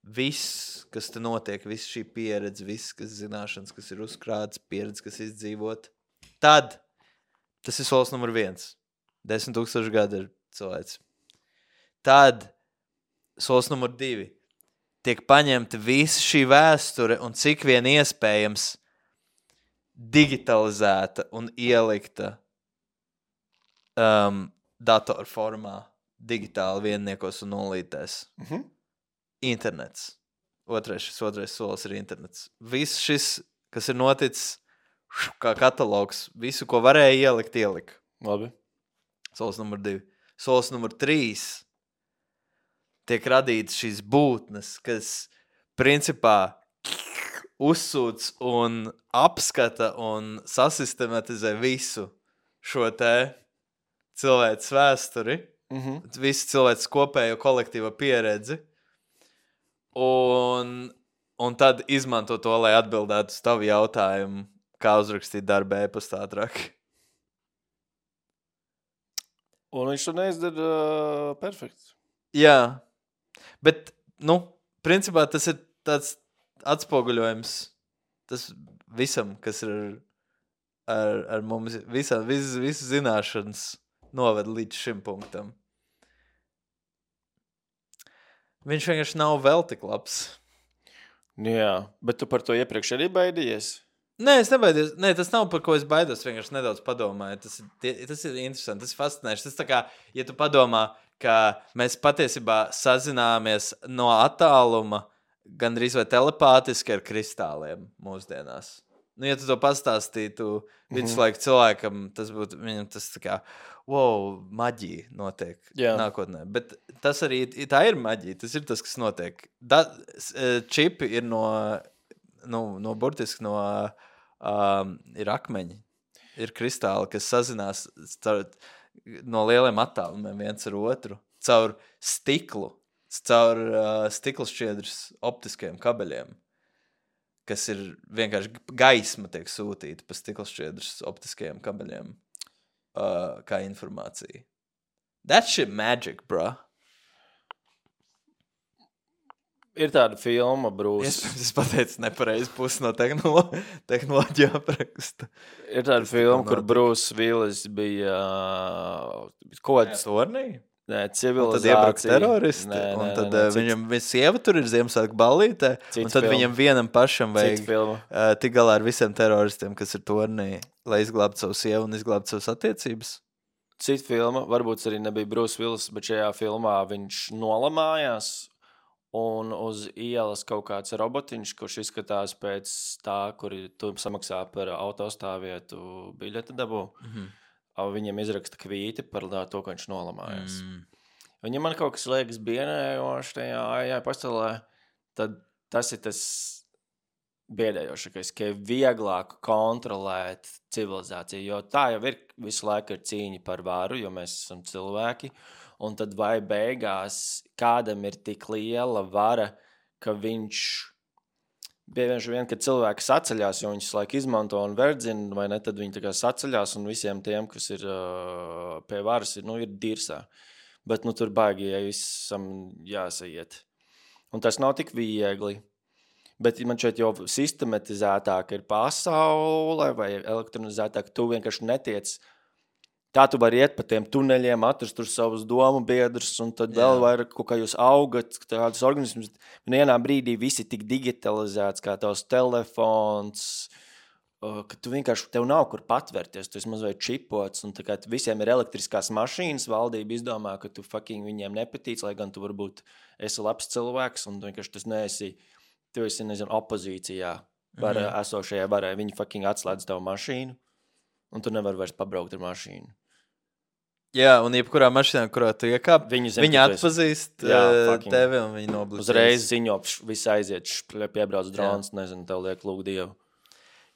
Viss, kas te notiek, viss šī pieredze, viss, kas zināšanas, kas ir uzkrāts, pieredze, kas izdzīvot. Tad, tas ir solis numur 1. 10,000 gadu ir cilvēks. Tad, solis numur 2. Tiek paņemta visa šī vēsture un cik vien iespējams digitalizēta un ielikta datorformā, digitāli vienniekos un nulītēs. Internets. Šis otrais solis ir internets. Viss šis, kas ir noticis, kā katalogs, visu, ko varēja ielikt. Labi. Solis numur 2. Solis numur 3. Tiek radītas šīs būtnes, kas principā uzsūc un apskata un sasistematizē visu šo te cilvēces vēsturi, visu cilvēces kopējo kolektīvo pieredzi, un tad izmanto to, lai atbildētu uz tavu jautājumu, kā uzrakstīt darbu e-pastā ātrāk. Un viņš to neizdara perfekts. Jā, bet, principā tas ir tāds atspoguļojums tas visam, kas ir ar mums, visas zināšanas noved līdz šim punktam. Viņš vienkārši nav vēl tik labs. Jā, bet tu par to iepriekš arī baidījies? Nē, es nebaidījos. Nē, tas nav par ko es baidos, vienkārši nedaudz padomāju. Tas ir interesanti, tas ir fascinējoši. Tas tā kā, ja tu padomā, ka mēs patiesībā sazināmies no attāluma gandrīz vai telepātiski ar kristāliem mūsdienās. Ja tu to pastāstītu viduslaiku cilvēkam, tas būtu viņam tas tā kā, wow, maģija notiek nākotnē. Bet tas arī, tā ir maģija, tas ir tas, kas notiek. Čipi ir burtiski ir akmeņi, ir kristāli, kas sazinās no lieliem attālumiem viens ar otru, caur stiklu. Caur stiklšķiedras optiskajiem kabeļiem, kas ir vienkārši gaisma tiek sūtīta pa stiklšķiedras optiskajiem kabeļiem kā informācija. That shit magic, bro. Ir tāda filma, Bruce. Es pateicu nepareizi pusi no tehnoloģija apraksta. Ir tāda filma, kur Bruce Willis bija kods. Tornī? Nē, Un tad civilizācija. iebrauks teroristi, un tad viņam sieva tur ir Ziemassvētku ballītē, un tad viņam vienam pašam vajag tik galā ar visiem teroristiem, kas ir Tornī, lai izglābtu savu sievu un izglābtu savas attiecības. Cita filma, varbūt arī nebija Bruce Willis, bet šajā filmā viņš nolamājās. Un uz ielas kaut kāds robotiņš, kurš izskatās pēc tā, kur tu samaksā par autostāvvietu biļeti dabū. Viņam izraksta kvīti par to, ka viņš nolamājās. Viņam man kaut kas liekas biedējoši tajā pastāvē, tad tas ir tas biedējošākais, ka ir vieglāk kontrolēt civilizāciju, jo tā jau ir visu laiku ir cīņa par varu, jo mēs esam cilvēki. Un tad vai beigās kādam ir tik liela vara, ka viņš bieži vien, kad cilvēki saceļās, jo viņus laik izmanto un verdzina, vai ne, tad viņi tā kā saceļās un visiem tiem, kas ir pie varas, ir dirsā. Bet tur baigi, ja visam jāsaiet. Un tas nav tik viegli. Bet man šeit jau sistematizētāk ir pasaule vai elektronizētāk, tu vienkārši netiec. Tā tu vari iet pa tiem tuneļiem, atrast tur savus domu biedrus, un tad vēl vairāk, kā jūs augat, tādus organismus. Vienā brīdī visi tik digitalizēts, kā tavs telefons, ka tu vienkārši, tev nav kur patvērties, tu esi mazliet čipots, un tā kā visiem ir elektriskās mašīnas, valdība izdomā, ka tu fucking viņiem nepatīc, lai gan tu varbūt esi labs cilvēks, un tu vienkārši tas neesi, tu esi, opozīcijā esošajai varai. Viņi fucking atslēdz tavu mašīnu, un tu nevari vairs pabraukt ar mašīnu. Jā, un jebkurā mašīnā, kurā tu iekāp, viņi atpazīst tevi un viņi noblisties. Uzreiz ziņo, viss aiziet, piebrauc drons, nezinu, tev liek lūk Dievu.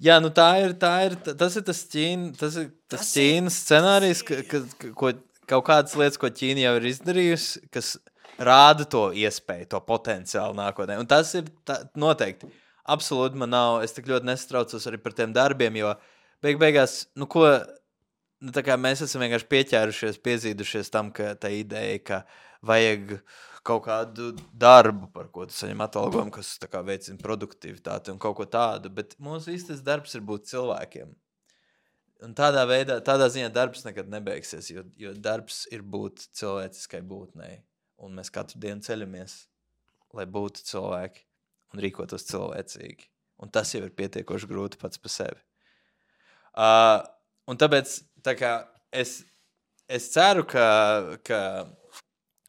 Jā, tas ir tas Ķīnas scenārijs, ko kaut kādas lietas, ko Ķīna jau ir izdarījusi, kas rāda to iespēju, to potenciālu nākotnē. Un tas ir noteikti. Absolūti man nav, es tik ļoti nesatraucos arī par tiem darbiem, jo beigās, tā kā mēs esam vienkārši pieķērušies, piezīdušies tam, ka tā ideja, ka vajag kaut kādu darbu, par ko tu saņem atalgojumu, kas tā kā veicina produktivitāti un kaut ko tādu, bet mūsu īstais darbs ir būt cilvēkiem. Un tādā ziņā darbs nekad nebeigsies, jo darbs ir būt cilvēciskai būtnei. Un mēs katru dienu ceļamies, lai būtu cilvēki un rīkotos cilvēcīgi. Un tas jau ir pietiekoši grūti pats par sevi. Un tāpēc tā kā es ceru, ka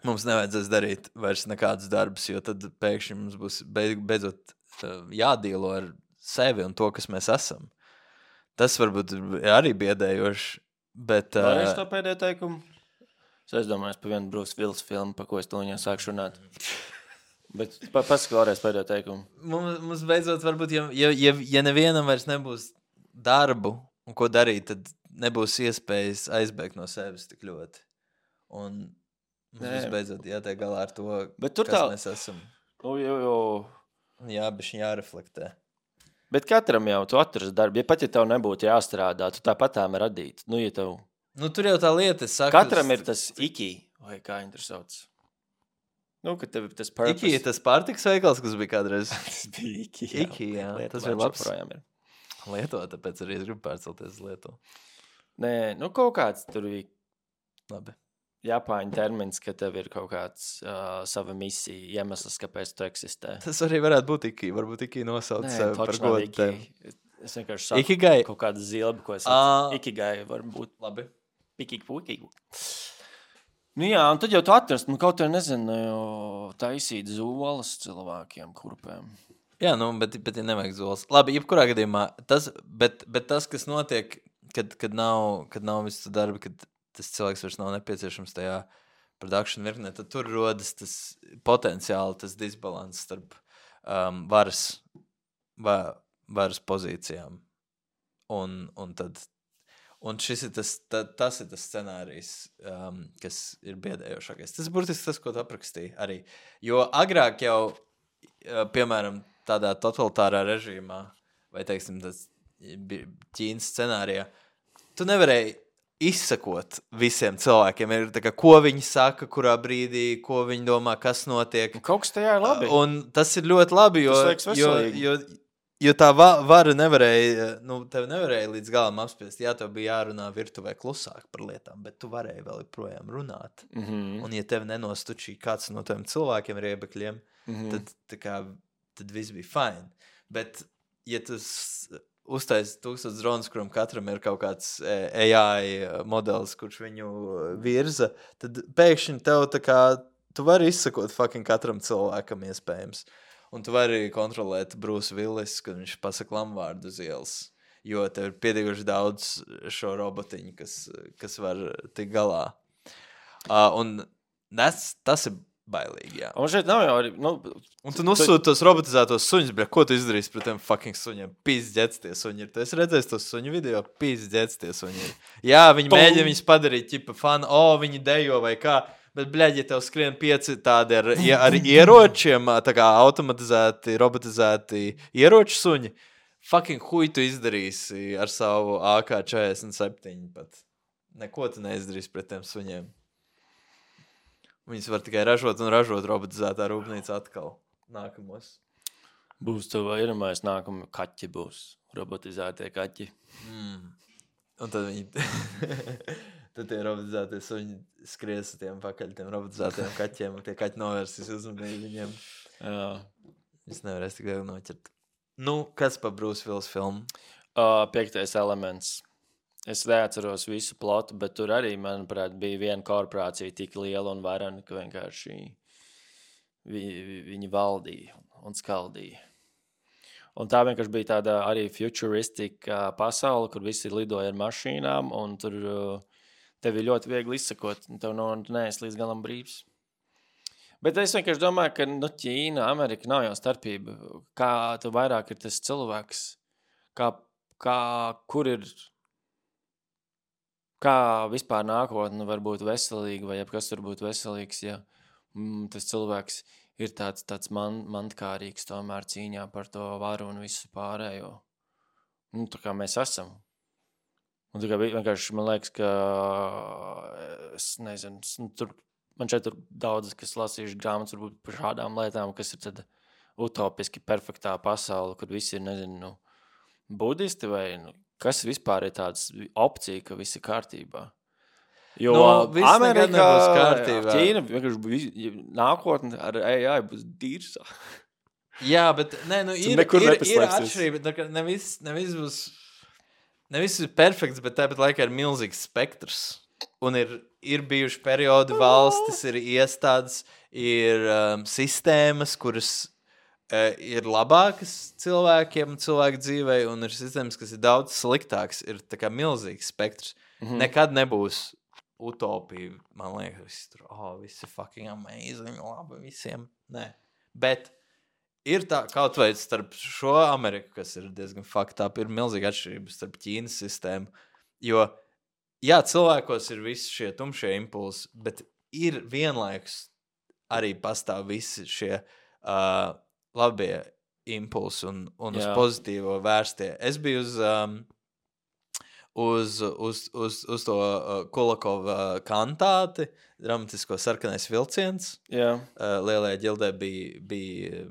mums nevajadzēs darīt vairs nekādus darbus, jo tad pēkšņi mums būs beidzot jādīlo ar sevi un to, kas mēs esam. Tas varbūt arī biedējoši, bet... Vai es to pēdējo teikumu? Es domāju, par vienu Bruce Willis filmu, par ko es to viņā sāku runāt. Bet pasaka vēlreiz pēdējo teikumu. Mums beidzot varbūt, ja nevienam vairs nebūs darbu un ko darīt, tad nebūs iespējas aizbēgt no sevis tik ļoti. Un mums beidzot jātiek galā ar to, mēs esam. Jā, bišķiņ jāreflektē. Bet katram jau tu atrast darbu. Ja pat ja tev nebūtu jāstrādā, tu tāpatām radīt. Ja tev... tur jau tā lieta, es saku. Katram ir tas iki, vai kā viņi tur sauc. Ka tev ir tas purpose. Iki ir tas pārtiks veikals, kas bija kādreiz. Tas bija iki, jā. Iki, jā. Tas ir labs. Lieto, tāpēc arī es gribu pārcelties uz Lietuvu. Nē, kaut kāds tur bija. Labi. Japāņu termins, ka tev ir kaut kāds sava misija, iemesls, kāpēc tu eksistē. Tas arī varētu būt iki. Varbūt iki nosauc sevi par godu tevi. Es vienkārši saku Ikigai. Kaut kādu zilbi, ko es saku. Ikigai var būt. Labi. Pikīgi. Jā, un tad jau tu atrast, kaut vai nezinu, taisīt zolas cilvēkiem, kurpēm. Jā, bet ja nevajag zolas. Labi, jebkurā gadījumā, bet tas, kas notiek, kad nav visu darbi, kad tas cilvēks vairs nav nepieciešams tajā production virknē, tad tur rodas tas potenciāli, tas disbalans starp varas pozīcijām. Un šis ir tas ir tas scenārijs, kas ir biedējošākais. Tas burtiski tas, ko tu aprakstīji arī. Jo agrāk jau, piemēram, tādā totalitārā režīmā, vai, teiksim, tas Ķīnas scenārijā, tu nevarēji izsakot visiem cilvēkiem. Ir tā kā, ko viņi saka, kurā brīdī, ko viņi domā, kas notiek. Kaut kas tajā ir labi. Un tas ir ļoti labi, Tas liekas veselīgi. jo tā vara nevarēja, tev nevarēja līdz galam apspiest. Jā, tev bija jārunā virtuvē klusāk par lietām, bet tu varēji vēl projām runāt. Un ja tev nenostučīja kāds no tiem cilvēkiem riebekļiem, tad viss bija fine. Bet, ja tas uztais 1000 dronus, kuram katram ir kaut kāds AI modelis, kurš viņu virza, tad pēkšņi tev tā kā, tu vari izsakot fucking katram cilvēkam iespējams. Un tu vari kontrolēt Bruce Willis, kad viņš pasaka lamvārdu uz ielas. Jo tev ir pietiekoši daudz šo robotiņu, kas var tik galā. Un tas ir bailīgi, jā. Un šeit nav jau arī... Un tu nosūti tos robotizētos suņus, bet ko tu izdarīsi pret tiem fucking suņiem? Pizdzēts tie suņi ir. Tu esi redzējis tos suņu video? Pizdzēts tie suņi ir. Jā, viņi mēģina viņus padarīt, ķipa fanu, viņi dejo vai kā. Bet, bļaļ, ja tev skrien 5 tādi ar ieročiem, tā kā automatizēti, robotizēti ieroču suņi, fucking huj tu izdarīsi ar savu AK-47 pat. Neko tu neizdarīsi pret tiem suņiem. Viņus var tikai ražot un ražot robotizētā rūpnīca atkal nākamos. Būs tev iedomājies nākamie kaķi būs. Robotizētie kaķi. Un tad viņi... tad tie robotizētie suņi skries tiem pakaļ tiem robotizētiem kaķiem, un tie kaķi novērsīs uzmanību viņiem. Jā. Viņš nevarēs tik vēl noķert. Kas pa Bruce Willis filmu? 5. elements. Es neatceros visu plotu, bet tur arī, manuprāt, bija viena korporācija tik liela un varena, ka vienkārši viņi valdīja un skaldīja. Un tā vienkārši bija tāda arī futuristika pasaule, kur visi lidoja ar mašīnām, un tur tev ir ļoti viegli izsakot, un tev neesi līdz galam brīvs. Bet es vienkārši domāju, ka Ķīna, Amerika nav jau starpība. Kā tu vairāk ir tas cilvēks, kur ir... Kā vispār nākotne var būt veselīga, vai kas var būt veselīgs, ja tas cilvēks ir tāds mantkārīgs tomēr cīņā par to varu un visu pārējo. Tā kā mēs esam. Un tā kā vienkārši man liekas, ka es nezinu, man šeit ir daudz, kas lasījuši grāmatas varbūt par šādām lietām, kas ir tad utopiski perfektā pasaule, kur visi ir, nezinu, budisti vai... Kas vispār ir tāds opcija, ka viss ir kārtībā? Jo Amerikā, Ķīna, vienkārši visi ar AI būs dīrsā. Jā, bet ir atšķirība. Nevis ir perfekts, bet tāpat laikā ir milzīgs spektrs. Un ir bijuši periodi valstis, ir iestādes, ir sistēmas, kuras... ir labākas cilvēkiem, cilvēku dzīvei, un ir sistēmas, kas ir daudz sliktāks. Ir tā kā milzīgs spektrs. Nekad nebūs utopija. Man liekas, viss ir fucking amazing, labi visiem. Nē. Bet ir tā, kaut vai starp šo Ameriku, kas ir diezgan fucked up, ir milzīga atšķirība starp Ķīnas sistēmu. Jo, jā, cilvēkos ir visi šie tumšie impulsi, bet ir vienlaikus arī pastāv visi šie... labie impulsi un uz pozitīvo vērstie. Es biju uz to Kulakova kantāti, dramatisko sarkanais vilciens. Lielajā ģildē bija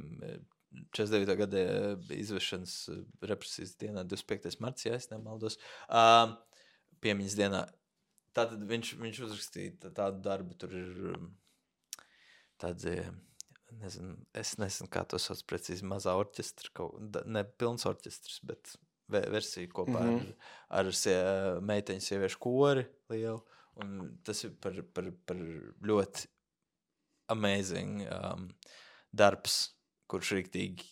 49. gada izvešanas represijas dienā, 25. marts, ja es nemaldos, piemiņas dienā. Tātad viņš uzrakstīja tādu darbu, tur ir tāds... Nezinu, es nezinu, kā to sauc precīzi, mazā orķestra, ne pilns orķestrs, bet versija kopā ar meiteņu sieviešu kori lielu, un tas ir par ļoti amazing darbs, kurš riktīgi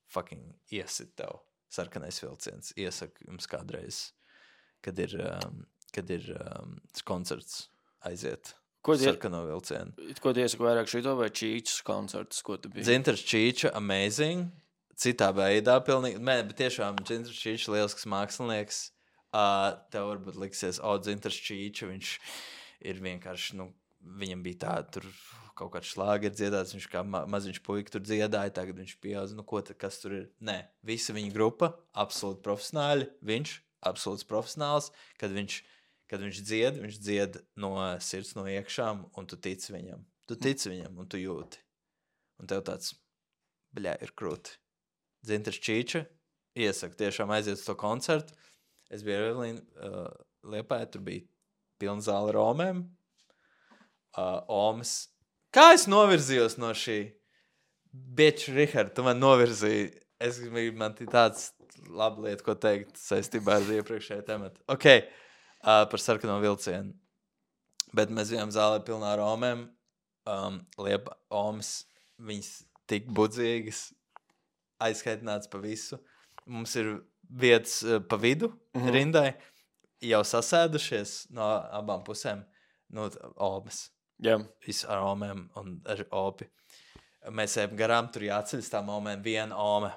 fucking iesit tev sarkanais vilciens. Iesaku jums kādreiz, kad ir koncerts aiziet. Sarkano vilcienu. Ko tu iesaki vairāk šito vai Čīčas koncertus, ko tu biji? Dzintars Čīča, amazing. Citā veidā pilnīgi. Bet tiešām Dzintars Čīča, lielisks mākslinieks. Tev varbūt liksies, Dzintars Čīča, viņš ir vienkārši, viņam bija tā, tur kaut kāds šlāgeri dziedāts, viņš kā maziņš puika tur dziedāja, tagad viņš pieaudz, kas tur ir? Nē, visa viņa grupa, absolūti profesionāļi, viņš, absolūts profesionāls, kad kad viņš dzied no sirds, no iekšām, un tu tici viņam. Tu tici viņam, un tu jūti. Un tev tāds, ir krūti. Dzintars Čīča iesaka tiešām aiziet uz to koncertu. Es biju ar Evelīnu Liepāju, tur bija pilna zāle Romēm. Omas. Kā es novirzījos no šī? Bitch, Richard, tu man novirzīji. Man tāds laba lieta, ko teikt saistībā ar iepriekšēju tematu. Ok, par sarkano vilcienu. Bet mēs bijām zālē pilnā ar Romēm. Omas, viņas tik budzīgas, aizskaitināts pa visu. Mums ir vietas pa vidu rindai, jau sasēdušies no abām pusēm. Omas. Jā. Visu ar Omēm un ar Opi. Mēs ejam garām, tur jāceļas tā Omēm, viena Ome.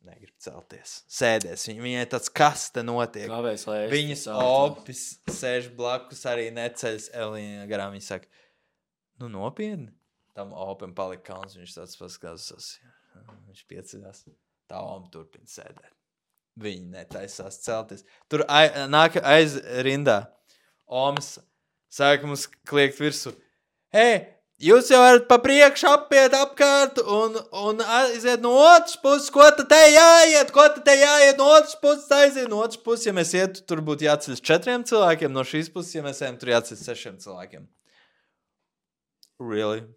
Negrib celties. Sēdēs. Viņai tāds, kas te notiek? Kāpēc, lai es Viņas Opis sēž blakus, arī neceļas. Elīna garām viņa saka, nopietni. Tam Opim palika kauns, viņš tāds paskatās. Viņš pieceļās. Tā Oma turpina sēdēt. Viņa netaisās celties. Tur nāk aiz rindā. Omas sāka mums kliegt virsu. Hei, jūs jau varat pa priekšu apiet apkārt un aiziet no otras puses. Ko tad te jāiet? No otras puses aiziet. No otras puses, ja mēs ietu, tur būtu jāceļas 4 cilvēkiem. No šīs puses, ja mēs ejam, tur jāceļas 6 cilvēkiem. Really?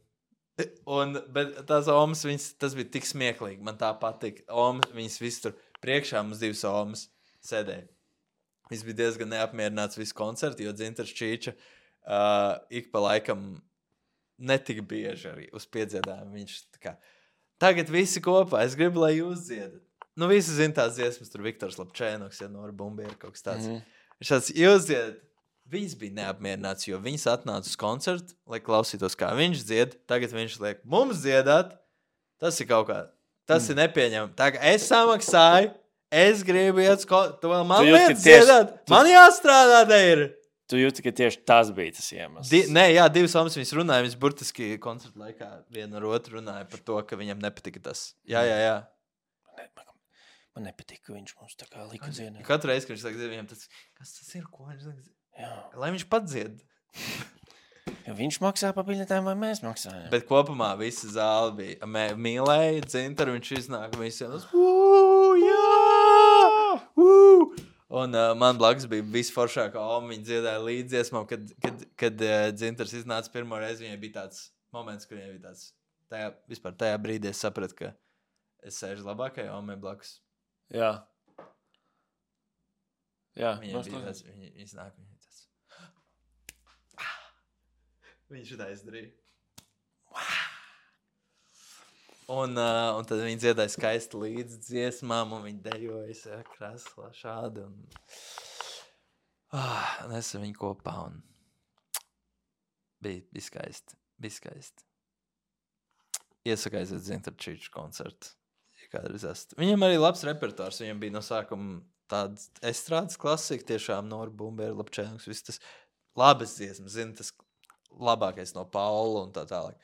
Bet tās Omas, tas bija tik smieklīgi. Man tā patika. Omas, viņas visu tur priekšā mums 2 Omas sēdēja. Viņš bija diezgan neapmierināts visu koncertu, jo Dzintars Čīča ik pa laikam netik bieži arī uz piedziedājumu. Viņš tā kā, tagad visi kopā, es gribu, lai jūs dziedat. Visi zina tās dziesmas, tur Viktors Lapčēnoks, ja Nora Bumbiera kaut kas tāds. Viņš tāds, jūs dziedat. Viņas bija neapmierināts, jo viņas atnāca uz koncertu, lai klausītos, kā viņš dzied. Tagad viņš liek mums dziedāt. Tas ir kaut kā, tas ir nepieņemami. Tā kā es samaksāju, es gribu iet uz koncertu, tu vēl man liec dziedāt. Man jāstrādā te ir. Tu jūti, ka tieši tas bija tas iemesls. Nē, jā, 2 Omas viņas runāja, viņas burtiski koncertu laikā viena ar otru runāja par to, ka viņam nepatika tas. Jā. Man nepatika, ka viņš mums tā kā lika dziedāt. Katru reizi, kad viņš saka, viņam tas, kas tas ir, ko viņš saka? Jā. Lai viņš pats dzied. Ja viņš maksā pa biļetēm vai mēs maksājam? Bet kopumā visa zāle bija. Mīlēja Dzintaru, viņš iznāk visiem. Un man blakus bija visforšākā Oma, viņa dziedāja līdziesmām, kad Dzintars iznāca pirmo reizi, viņai bija tāds moments, kur viņai bija tāds, vispār tajā brīdī es sapratu, ka es sēžu labākajā Omai blakus. Jā. Viņai bija tāds, viņa iznāk, viņa tāds. Viņš tā izdarīja. Un tad viņi dziedāja skaisti līdz dziesmām, un viņi dejoja krēslā šādi. Un es ar viņu kopā, un bija skaisti. Iesaku aiziet Dzintara Čīča koncertu. Viņam arī labs repertuārs, viņam bija no sākuma tāds estrādes klasika, tiešām Nora Bumbiera, Lapčēnoks, viss tas labas dziesmas, zina, tas labākais no Paula un tā tālāk.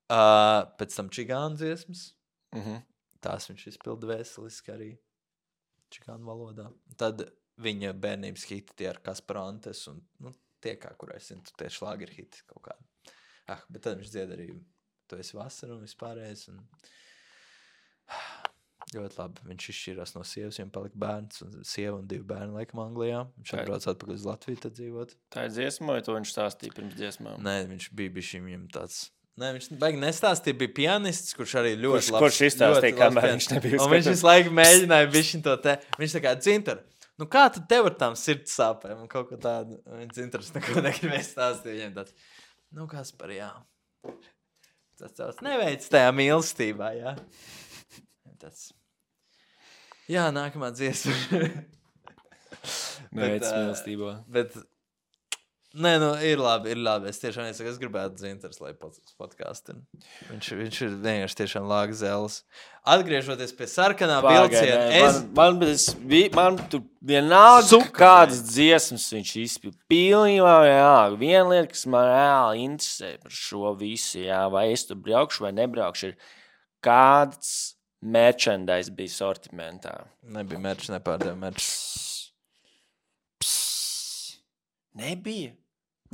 Pēc tam čigānu dziesmas. Tās viņš izpilda veseliski arī čigānu valodā. Tad viņa bērnības hiti tie ar Kasparantes un tie kā, kur es zinu, tie šlāgeri hiti kaut kādi. Bet tad viņš dzied arī Tu esi vasara un vispārējais. Un... ļoti labi. Viņš izšķirās no sievas, viņam palika bērns, un sieva un 2 bērni laikam Anglijā. Viņš atbrauc atpakaļ uz Latviju tad dzīvot. Tā ir dziesma, vai to viņš stāstīja pirms dziesmām? Nē, viņš bija bišķiņ viņam tāds... Nē, viņš baigi nestāstīja, bija pianists, kurš arī ļoti labs. Kurš izstāstīja, kamēr viņš nebija un viņš visu laiku mēģināja bišķiņ to te... Viņš tā kā, Dzintar, nu kā tad tev ar tām sirds sāpēm un kaut ko tādu? Un Dzintars neko negribēja stāstīt, viņam tāds, nu Kaspar, jā. Tas neveic tajā mīlestībā, jā. Tas... Jā, nākamā dziesma. Neveic mīlestībā. Bet... Nē, nu, ir labi. Es tiešām nesaku, es gribētu Dzintars, lai podkāstina. Viņš ir vienkārši tiešām lāga zēles. Atgriežoties pie sarkanā vilciena, man tur vienalga kādas dziesmas viņš izpilda. Pilnībā, jā. Viena lieta, kas man reāli interesē par šo visu, jā, vai es tur braukšu vai nebraukšu, ir kāds merchandise bija sortimentā. Nebija merch, nepārdeva merch. Nebija.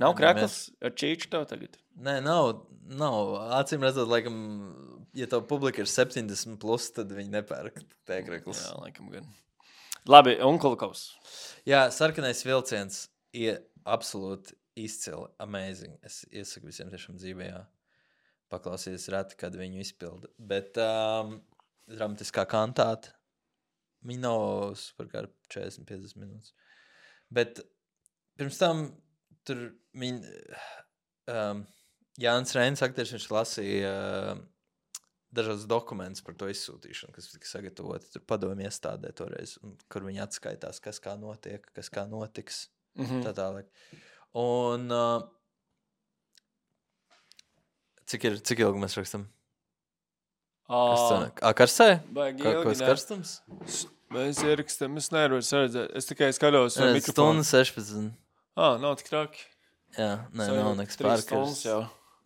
Nav krekls ar čīču tev tagad? Nē, nav. Acīm redzot, laikam, ja tev publika ir 70+, tad viņi nepērk tēkreklus. Jā, laikam gan. Labi, un Kulkovs. Jā, sarkanais vilciens ir absolūti izcili, amazing. Es iesaku visiem tiešām dzīvē, jā. Paklausīties reti, kad viņu izpilda. Bet dramatiskā kantāte, viņi nav superkār 40-50 minūtes. Bet pirms tam tur Jānis Reins, aktieris, viņš lasīja dažādas dokumentus par to izsūtīšanu, kas tika sagatavoti tur padomju iestādē toreiz, un kur viņi atskaitās, kas kā notiek, kas kā notiks. Tā tālāk. Un cik ilgi mēs rakstam? Karsē? Kāds karstums? Mēs ierakstam, es nevaru redzēt. Es tikai skatos ar mikrofonu. Stundu 16. Nav tik traki. Jā, nav nekas pārkars.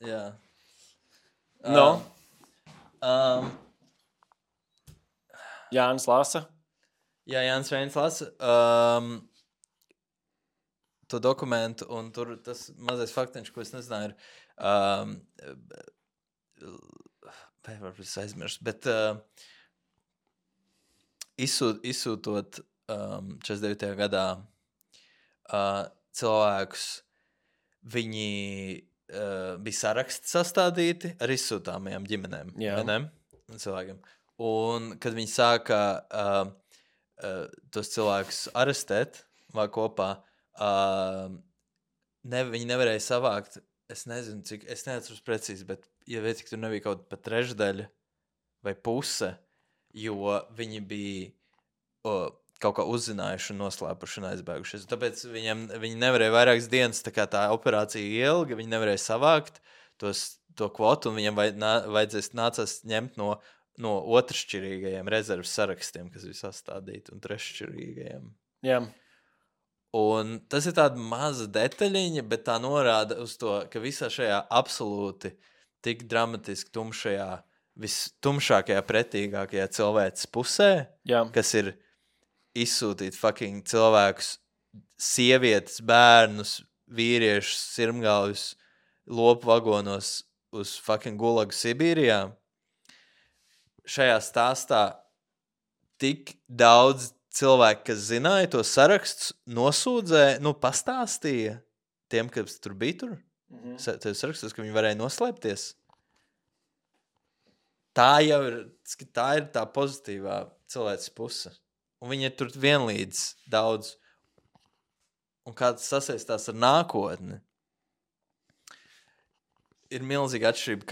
Jā. No. Jānis lasa. Jā, Jānis Reins lasa to dokumentu, un tur tas mazais faktiņš, ko es nezināju, ir vai varbūt es aizmirstu, bet izsūtot 49. gadā cilvēkus, viņi bija saraksti sastādīti ar izsūtāmajām ģimenēm. Cilvēkiem. Un kad viņi sāka tos cilvēkus arestēt vai kopā, viņi nevarēja savākt, es nezinu, cik, es neatceros precīzi, bet ja cik tur nebija kaut pat trešdaļa vai puse, jo viņi bija kaut kā uzzinājuši un noslēpuši un aizbēgušies. Tāpēc viņi nevarēja vairākas dienas, tā kā tā operācija ilga, viņi nevarēja savākt to kvotu, un viņam nācās ņemt no otršķirīgajiem rezerves sarakstiem, kas bija sastādīti, un treššķirīgajiem. Jā. Un tas ir tāda maza detaļiņa, bet tā norāda uz to, ka visā šajā absolūti tik dramatiski tumšajā, vistumšākajā, pretīgākajā cilvēces pusē, kas ir izsūtīt fucking cilvēkus, sievietes, bērnus, vīriešus, sirmgalvus, lopu vagonos uz fucking Gulagu Sibīrijā. Šajā stāstā tik daudz cilvēki, kas zināja to sarakstus, nosūdzēja, pastāstīja tiem, kas tur bija tur. Tev sarakstus, ka viņi varēja noslēpties. Tā ir tā pozitīvā cilvēces puse. Un viņi ir tur vienlīdz daudz. Un kā tas sasaistās ar nākotni, ir milzīga atšķirība,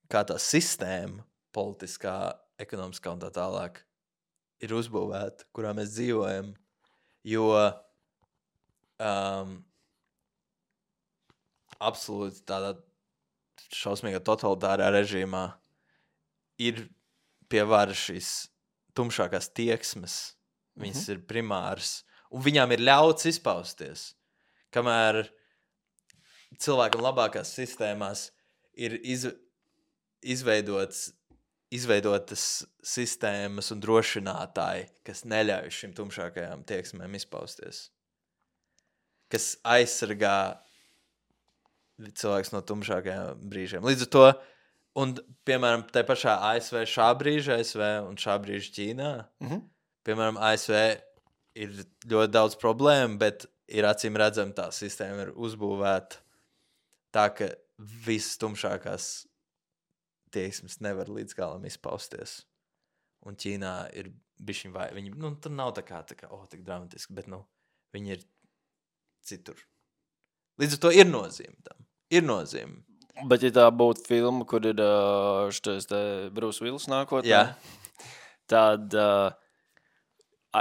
kā tā sistēma, politiskā, ekonomiskā un tā tālāk, ir uzbūvēta, kurā mēs dzīvojam. Jo absolūti tādā šausmīgā totalitārā režīmā ir pie varas šīs tumšākās tieksmes, viņas ir primāras, un viņām ir ļauts izpausties, kamēr cilvēkam labākās sistēmās ir izveidotas sistēmas un drošinātāji, kas neļauj šim tumšākajām tieksmēm izpausties, kas aizsargā cilvēks no tumšākajām brīžiem. Līdz ar to, un, piemēram, tai pašā ASV šā brīža un šā brīža Ķīnā, piemēram, ASV ir ļoti daudz problēmu, bet ir acīm redzam, tā sistēma ir uzbūvēta tā, ka visas tumšākās tieksmes nevar līdz galam izpausties. Un Ķīnā ir bišķiņ vai, viņi, tur nav tā kā, tik dramatiski, bet, viņi ir citur. Līdz ar to ir nozīme tam. Ir nozīme. Bet, ja tā būtu filma, kur ir šitais Bruce Willis nākotnē, tad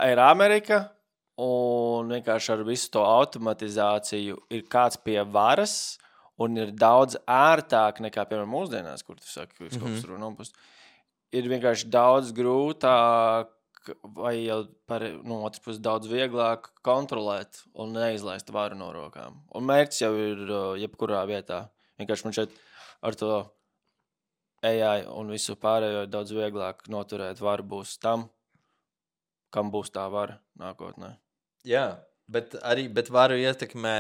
ir Amerika, un vienkārši ar visu to automatizāciju ir kāds pie varas, un ir daudz ērtāk nekā, piemēram, mūsdienās, kur tu saki, ka kaut kas tur nopust. Ir vienkārši daudz grūtāk, vai jau no otras puses daudz vieglāk kontrolēt un neizlaist varu no rokām. Un mērķis jau ir jebkurā vietā. Vienkārši man šeit ar to AI un visu pārējo daudz vieglāk noturēt varu būs tam, kam būs tā vara nākotnē. Jā, Bet varu ietekmē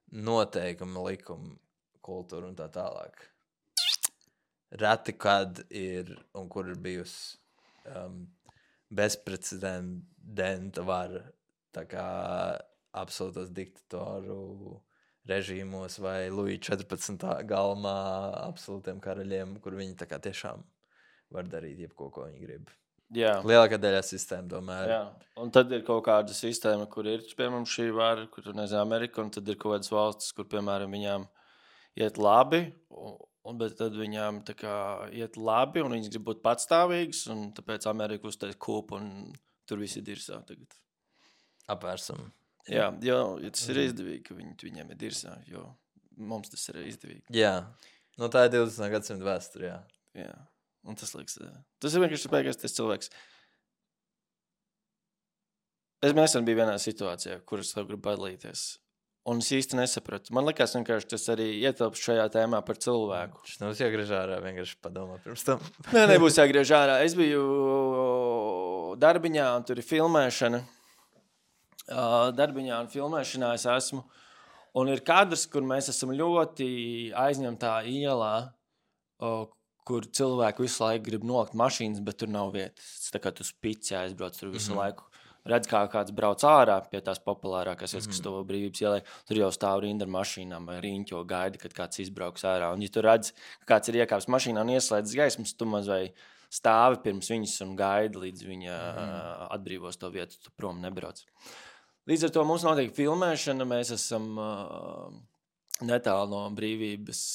noteikumi, likumi, kultūru un tā tālāk. Reti, kad ir un kur ir bijusi bezprecedenta vara, tā kā absolūtos diktatoru režīmos vai Luija 14. galmā absolūtiem karaļiem, kur viņi tā kā tiešām var darīt jebko, ko viņi grib. Jā. Lielākā daļā sistēma domāju. Jā. Un tad ir kaut kāda sistēma, kur ir, piemēram, šī vara, kur, nezinu, Amerika, un tad ir kaut kādas valstis, kur, piemēram, viņām iet labi, bet tad viņām tā kā iet labi, un viņas grib būt patstāvīgas, un tāpēc Amerika uztais kūpu, un tur visi dirsā tagad. Apvērsam. Jā, jo tas ir izdevīgi, ka viņiem ir dirsā, jo mums tas ir izdevīgi. Jā, no tā ir 20. gadsimta vēsture, jā. Jā, un tas liekas, tas ir vienkārši beigās tas cilvēks. Es nesen biju vienā situācijā, kuras tev gribu padalīties. Un es īsti nesapratu. Man likās vienkārši tas arī ietilpst šajā tēmā par cilvēku. Šis nav jāgriež ārā, vienkārši padomā pirms tam. Nē, nebūs jāgriež ārā. Es biju darbiņā un tur ir filmēšana. Darbiņā un filmēšanā es esmu. Un ir kadrs, kur mēs esam ļoti aizņemtā ielā, kur cilvēki visu laiku grib nolikt mašīnas, bet tur nav vietas. Tā kā tu spici aizbrauc tur visu laiku. Redz, kā kāds brauc ārā pie tās populārākās vietas, kas to brīvības ielai, tur jau stāv rinda ar mašīnām vai riņķo gaida, kad kāds izbrauks ārā. Un ja tu redz, ka kāds ir iekāps mašīnā un ieslēdz gaismas, tu maz vai stāvi pirms viņas un gaidi, līdz viņa atbrīvos to vietu, tu prom nebrauc. Līdz ar to mums notiek filmēšana, mēs esam netālu no brīvības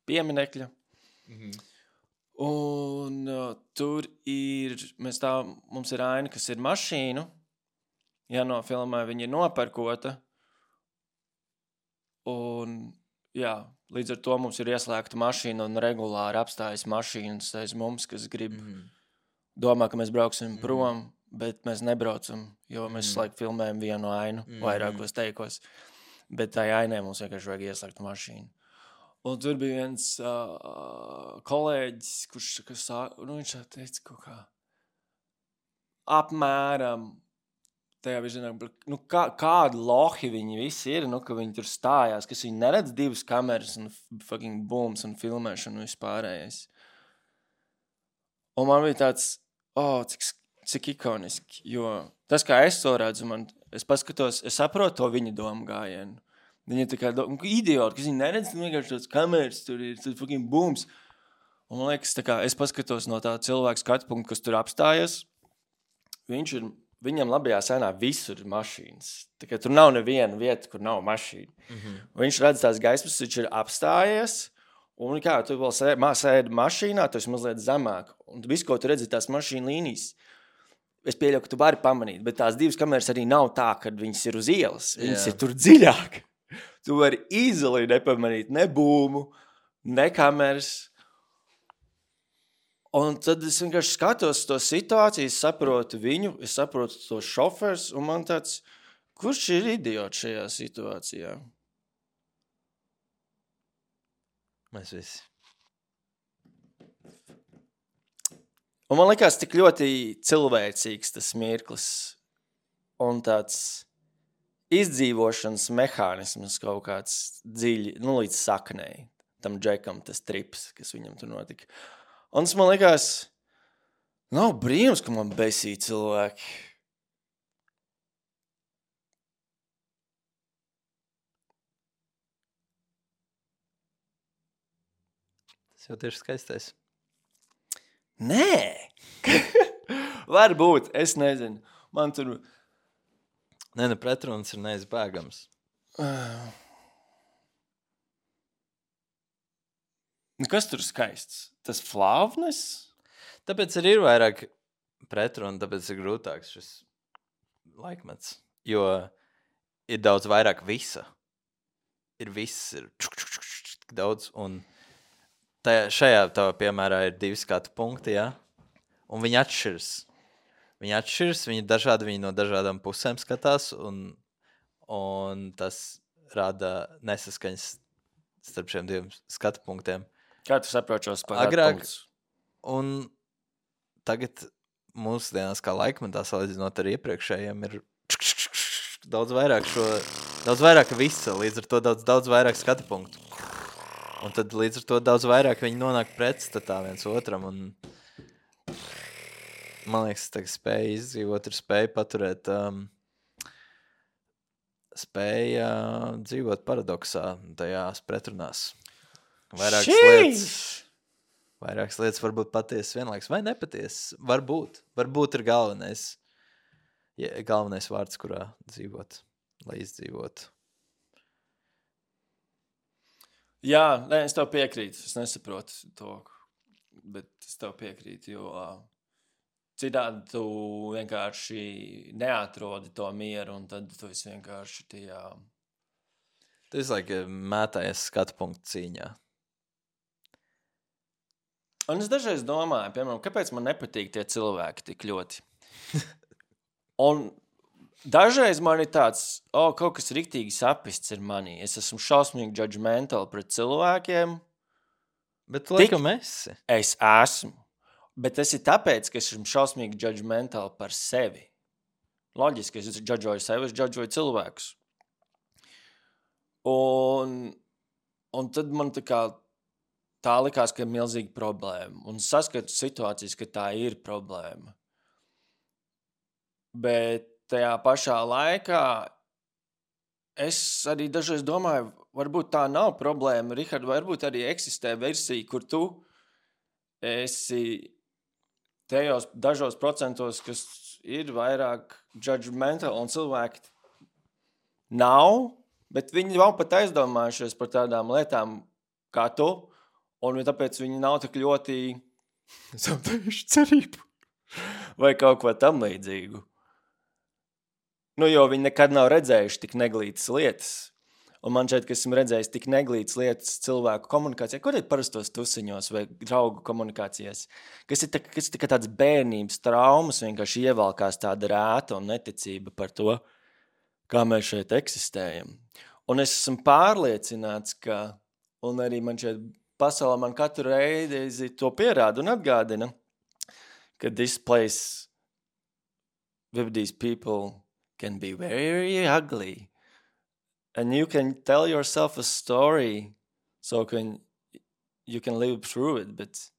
pieminekļa. Un tur ir, mums ir aina, kas ir mašīnu, jānofilmē, viņa ir nopērkota, un jā, līdz ar to mums ir ieslēgta mašīna un regulāri apstājas mašīnas aiz mums, kas grib, domā, ka mēs brauksim prom, bet mēs nebraucam, jo mēs laiku filmējam vienu ainu, vairākos teikos, bet tai ainē mums vienkārši vajag ieslēgt mašīnu. Un tur bija viens kolēģis, kurš viņš teica kaut kā apmēram tajā virzienā, kādi lohi viņi visi ir, ka viņi tur stājās, kas viņi neredz divas kameras un fucking booms un filmēšanu vispārējais. Un man bija tāds, cik ikoniski, jo tas, kā es to redzu, es paskatos, es saprotu to viņa domu gājienu. Viņi ir tā kā idioti, kas viņi neredz, vienkārši tāds kameras, tur ir fucking booms. Un man liekas, tā kā es paskatos no tā cilvēka skatu punktu, kas tur apstājas, viņam labajā sēnā visur ir mašīnas. Tā kā tur nav neviena vieta, kur nav mašīna. Viņš redz tās gaismas, viņš ir apstājies, un kā, tu vēl sēdi mašīnā, tu esi mazliet zemāk. Un visu, ko tu redzi, tās mašīna līnijas. Es pieļauju, ka tu vari pamanīt, bet tās divas kameras arī nav tā, kad viņas ir uz ielas. Viņas ir tur dziļāk. Tu vari izoli nepamanīt ne būmu, ne kameras. Un tad es vienkārši skatos to situāciju, es saprotu viņu, es saprotu to šofers, un man tāds, kurš ir idiots šajā situācijā? Mēs visi. Un man likās tik ļoti cilvēcīgs tas mirklis un tāds izdzīvošanas mehānisms kaut kāds dziļi, līdz saknei, tam džekam tas trips, kas viņam tur notika. Un tas man likās, nav brīnums, ka man besī cilvēki. Tas jau tieši skaistais. Nē! Varbūt, es nezinu. Man tur... Nē, pretruns ir neizbēgams. Kas tur skaists? Tas flāvnes? Tāpēc arī ir vairāk pretrunu, tāpēc ir grūtāks šis laikmets. Jo ir daudz vairāk visa. Ir viss, ir daudz. Un šajā tavā piemērā ir 2 skatu punkti, jā? Un viņi atšķiras. Viņi dažādi, viņi no dažādām pusēm skatās, un tas rada nesaskaņas starp šiem 2 skatu punktiem. Kā tu saproti šos agrāk, punktus? Un tagad mūsdienās kā laikmetā salīdzinot ar iepriekšējiem ir daudz vairāk visa, līdz ar to daudz vairāk skatu punktu. Un tad līdz ar to daudz vairāk viņi nonāk pretstatā viens otram. Un man liekas, tā spēja izdzīvot ir spēja paturēt, spēja dzīvot paradoksā, tajās pretrunās. Vairākas lietas var būt patiesas vienlaiks vai nepatiesas. Varbūt ir galvenais vārds, kurā dzīvot, lai izdzīvotu. Jā, nē, es tev piekrītu. Es nesaprotu to, bet es tev piekrītu, jo citādi tu vienkārši neatrodi to mieru, un tad tu esi vienkārši tajā... Tu esi mētājies skatu punktu cīņā. Un es dažreiz domāju, piemēram, kāpēc man nepatīk tie cilvēki tik ļoti. Un dažreiz man ir tāds, kaut kas riktīgi sapists ir manī. Es esmu šausmīgi judgmental pret cilvēkiem. Bet laikam esi. Es esmu. Bet tas ir tāpēc, ka es esmu šausmīgi judgmental par sevi. Loģiski, es judžoju sevi, es judžoju cilvēkus. Un tad man tā likās, ka ir milzīga problēma. Un saskatu situācijas, ka tā ir problēma. Bet tajā pašā laikā es arī dažreiz domāju, varbūt tā nav problēma, Rihard, varbūt arī eksistē versija, kur tu esi tajos dažos procentos, kas ir vairāk judgmental un cilvēki nav, bet viņi nav pat aizdomājušies par tādām lietām kā tu, un tāpēc viņi nav tik ļoti zaudējuši cerību vai kaut ko tam līdzīgu. Jo viņi nekad nav redzējuši tik neglītas lietas. Un man šeit, ka esmu redzējis tik neglītas lietas cilvēku komunikācijā, kur ir parastos tusiņos vai draugu komunikācijās, kas ir tāds bērnības traumas, vienkārši ievalkās tāda rēta un neticība par to, kā mēs šeit eksistējam. Un es esmu pārliecināts, ka, un arī man šeit pasaulē man katru reizi to pierāda un atgādina, ka this place with these people can be very ugly. And you can tell yourself a story so you can live through it. But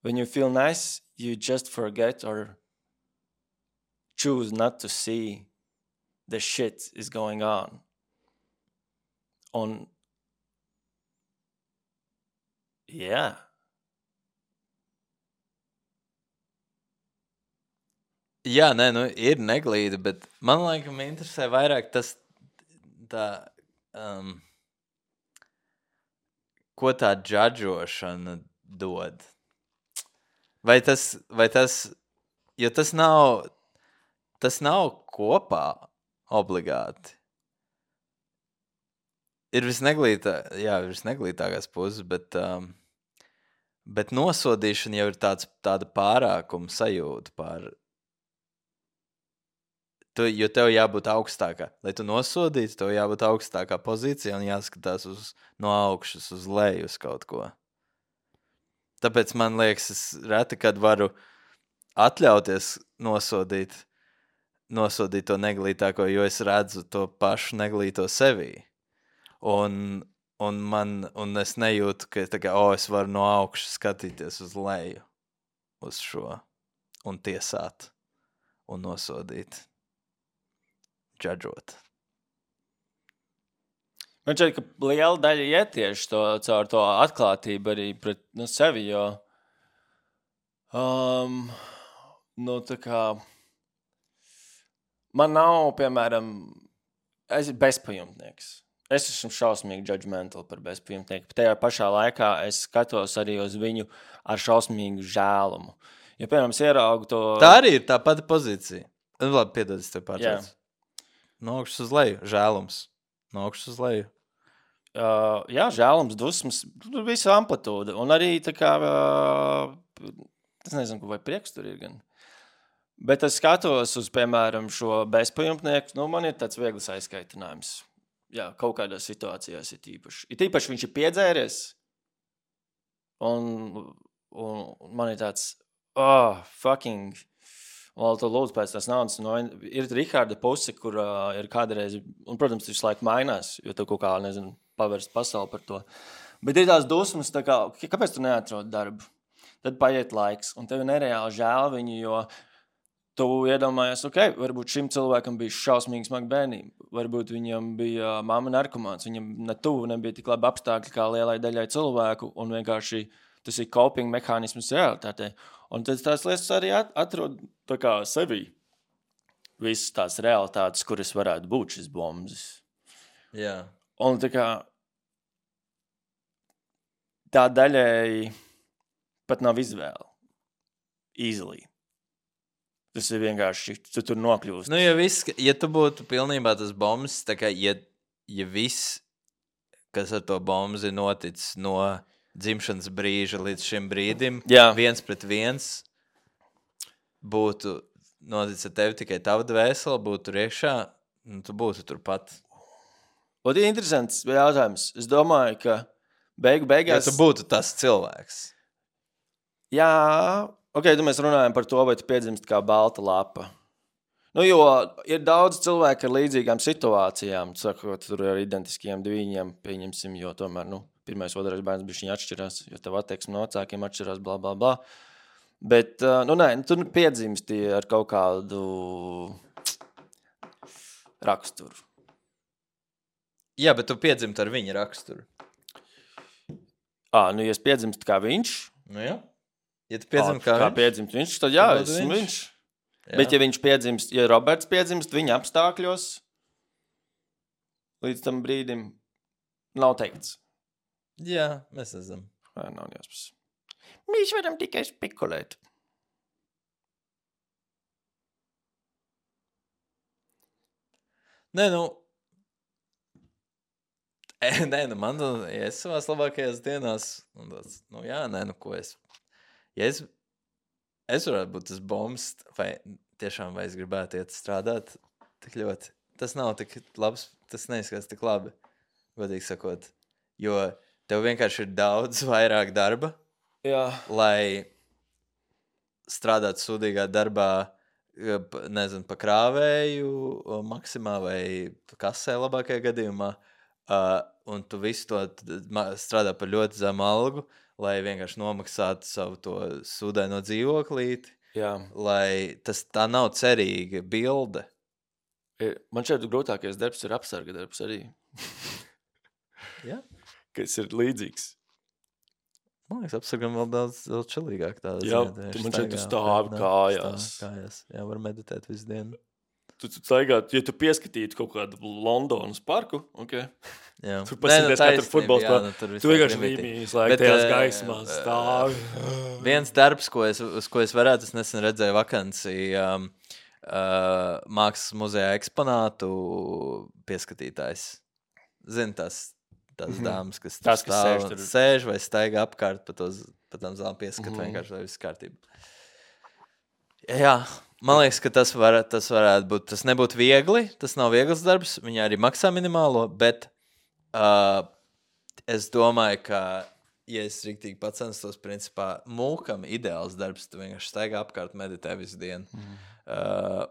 when you feel nice, you just forget or choose not to see the shit is going on. Yeah. Jā, nē, ir neglīda, bet man laikam interesē vairāk tas, ko tā džadžošana dod. Vai tas, jo tas nav kopā obligāti. Ir visneglītākās puses, bet nosodīšana jau ir tāda pārākuma sajūta par... Jo tev jābūt augstākā. Lai tu nosodītu, tev jābūt augstākā pozīcijā un jāskatās no augšas uz leju uz kaut ko. Tāpēc man liekas, es reti, kad varu atļauties nosodīt to neglītāko, jo es redzu to pašu neglīto sevī. Un es nejūtu, ka es varu no augšas skatīties uz leju uz šo un tiesāt un nosodīt. Džadžot. Man šķiet, ka liela daļa iet tieši caur to atklātību arī pret sevi, jo tā kā man nav, piemēram, es esmu bezpajumtnieks. Es esmu šausmīgi judgmental par bezpajumtnieku. Tajā pašā laikā es skatos arī uz viņu ar šausmīgu žēlumu. Ja, piemēram, es ieraugu to... Tā arī ir tā pati pozīcija. Labi, piedod, es tev pārtraucu. No augšas uz leju, žēlums. No augšas uz leju. Jā, žēlums, dusmas, visa amplitūda. Un arī tā kā, es nezinu, vai prieks tur ir gan. Bet es skatos uz, piemēram, šo bezpajumtnieku, man ir tāds viegls aizskaitinājums. Jā, kaut kādās situācijās ir tīpaši. Ir tīpaši viņš ir piedzēries. Un man ir tāds, Fucking. Vēl to lūdzu pēc tās naudas. Ir Riharda puse, kur ir kādreiz, un, protams, visu laiku mainās, jo tu kaut kā, nezinu, pavērst pasauli par to. Bet ir tās dusmas, tā kā, kāpēc tu neatrod darbu? Tad paiet laiks, un tev nereāli žēl viņu, jo tu iedomājies, varbūt šim cilvēkam bija šausmīgi smagi bērnība, varbūt viņam bija mamma narkomāns, viņam nebija tik labi apstākļi kā lielai daļai cilvēku, un vienkārši tas ir coping mehānisms realitātei. Un tad tās lietas arī atrod tā kā sevi. Visas tās realitātes, kuras varētu būt šis bombas. Jā. Un tā kā tā daļai pat nav izvēle. Easily. Tas ir vienkārši, tu tur nokļūst. Nu, ja tu būtu pilnībā tas bombas, tā kā, ja viss, kas ar to bombas ir noticis no dzimšanas brīža līdz šim brīdim, viens pret viens būtu noticis ar tevi tikai tava dvēsele, būtu tur iekšā, tu būtu turpat. Un ir interesants jautājums. Es domāju, ka beigās... Ja tu būtu tas cilvēks. Jā, tad mēs runājam par to, vai tu piedzimst kā balta lapa. Nu, jo ir daudz cilvēku ar līdzīgām situācijām, sakot, tur ar identiskiem diviņiem, pieņemsim, jo tomēr, pirmais, otrais bērns bišķiņ atšķirās, jo tev attieksme no vecākiem atšķirās, bla, bla, bla. Bet, tu piedzimsti ar kaut kādu raksturu. Jā, bet tu piedzimti ar viņa raksturu. Ja es piedzimstu kā viņš. Nu jā. Ja tu piedzimti kā piedzimst viņš, tad esmu viņš. Jā. Bet ja viņš piedzimst, ja Roberts piedzimst viņa apstākļos, līdz tam brīdim nav teikts. Jā, mēs esam. Nav jāspēc. Mēs varam tikai spekulēt. Man, ja es savās labākajās dienās, ko es... Ja es varētu būt tas bombs, vai es gribētu iet strādāt tik ļoti. Tas nav tik labs, tas neizskatās tik labi, godīgi sakot. Jo tev vienkārši ir daudz vairāk darba, lai strādātu sūdīgā darbā, nezinu, pa krāvēju maksimā vai kasē labākajā gadījumā, un tu visu to strādā par ļoti zemu algu, lai vienkārši nomaksātu savu to sūdaino dzīvoklīti, lai tā nav cerīga bilde. Man šeit grūtākais darbs ir apsarga darbs arī. Jā? Kas ir līdzīgs. Man liekas, apsargam vēl daudz čilīgāk tāda. Jā, tu man šeit stāvi kājās. Jā, var meditēt visu dienu. Tu staigāt, ja tu pieskatītu kaut kādu Londonas parku, Jā. Tur pasīties katru futbols spēlē. Tu vienkārši līmīs, lai tajās gaismās stāvi. Viens darbs, uz ko es varētu, es nesen redzēju vakanci Mākslas muzejā eksponātu pieskatītājs. Zini, tās dāmas, kas sēž vai staigā apkārt pa tām zālēm pieskat, vienkārši, lai viss kārtība. Jā. Man liekas, ka tas varētu būt, tas nebūtu viegli, tas nav viegls darbs, viņi arī maksā minimālo, bet es domāju, ka, ja es riktīgi pacenstos, principā, mūkam ideāls darbs, tu vienkārši staigā apkārt, meditē visu dienu,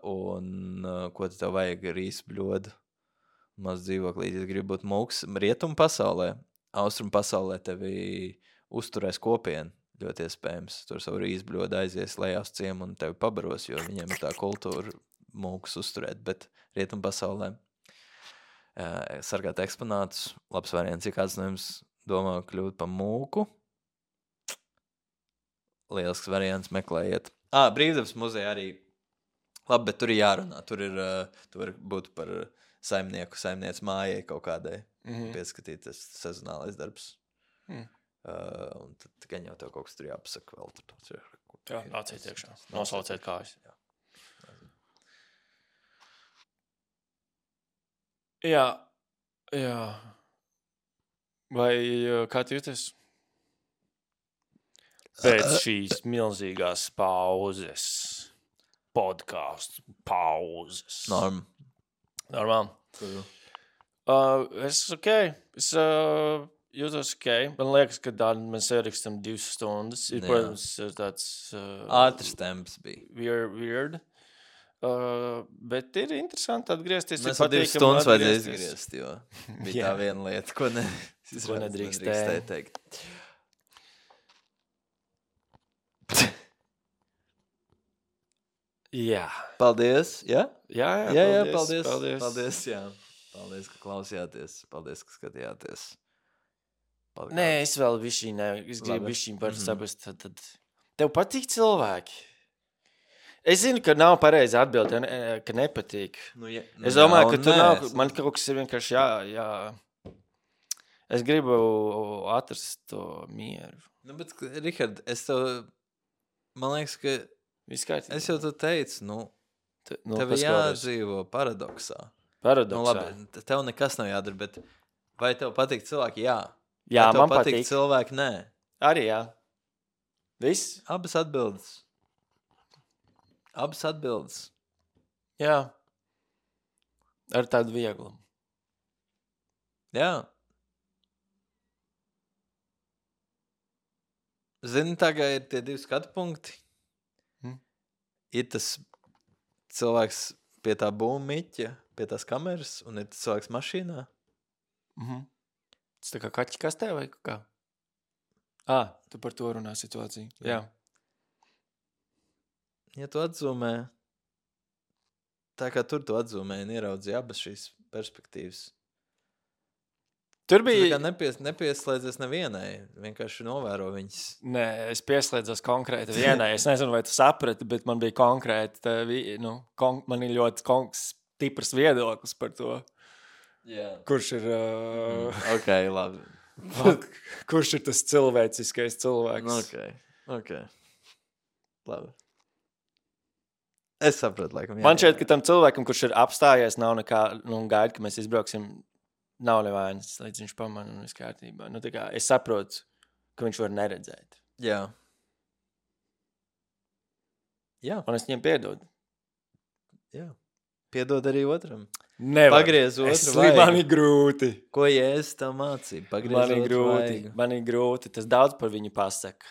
un ko tev vajag rīs bļodu, maz dzīvoklīt, ja gribi būt mūks rietumu pasaulē, austrumu pasaulē tevi uzturēs kopienu. Ļoti iespējams. Tur savu rīzbļodu aizies lejā uz ciemu un tevi pabaros, jo viņiem ir tā kultūra mūkus uzturēt. Bet rietumu pasaulē sargāt eksponātus, labs variants, ja kāds no jums domā kļūt pa mūku. Lielisks variants, meklējiet. Brīvdabas muzeja arī. Labi, bet tur ir jārunā. Tur var būt par saimniec mājai kaut kādai pieskatīties sezonālais darbs. Un tad gan jau tev kaut kas tur jāpasaka vēl. Jā, nāciet iekšā. Nosauciet kājas. Jā. Vai kā tu jūties? Pēc šīs milzīgās pauzes. Podcastu pauzes. Normāli. Es jūtos ok. Man liekas, ka mēs ierakstam 2 stundas. Ir, protams, tāds ātrs temps bija. Weird. Bet ir interesanti atgriezties. Mēs 2 stundas vajadzēja izgriezt, jo bija tā viena lieta, ko nedrīkstēja teikt. Jā. Paldies, jā? Jā, paldies, jā. Paldies, ka klausījāties. Paldies, ka skatījāties. Nē, es vēl es gribu višķiņ par saprast. Tad tev patīk cilvēki? Es zinu, ka nav pareizi atbildi, ka nepatīk. Es domāju, ka tu nav, man kaut kas ir vienkārši jā. Es gribu atrast to mieru. Bet, Rihard, man liekas, ka es jau tu teicu, tev jādzīvo paradoksā. Labi, tev nekas nav jādara, bet vai tev patīk cilvēki? Jā. Jā, vai tev man patīk cilvēki? Nē. Arī jā. Viss? Abas atbildes. Jā. Ar tādu vieglumu. Jā. Zini, tagad ir tie 2 skatu punkti. Ir tas cilvēks pie tā būmiķa, pie tās kameras, un ir tas cilvēks mašīnā. Tas tā kā kaķi kastē vai kā? Tu par to runā situāciju. Jā. Ja tu atzūmē, tā kā tur tu atzūmē un ieraudzīji abas šīs perspektīvas. Tur bija... Nepieslēdzies nevienai, vienkārši novēro viņas. Nē, es pieslēdzos konkrēti vienai. Es nezinu, vai tu saprati, bet man bija konkrēti, man ir ļoti stiprs viedoklis par to. Yeah. Kurš ir... Ok, labi. Kurš ir tas cilvēciskais cilvēks? Ok. Labi. Es sapratu, laikam. Man šķiet, ka tam cilvēkam, kurš ir apstājies, nav nekā, gaida, ka mēs izbrauksim, nav nevainas, līdz viņš pamana un viss kārtībā. Es saprotu, ka viņš var neredzēt. Jā. Un es viņam piedodu. Jā. Piedod arī otram. Nevar. Pagriez otru vaigu. Man ir grūti. Ko Jēzus tev mācīja? Pagriez otru vaigu. Man ir grūti. Tas daudz par viņu pasaka.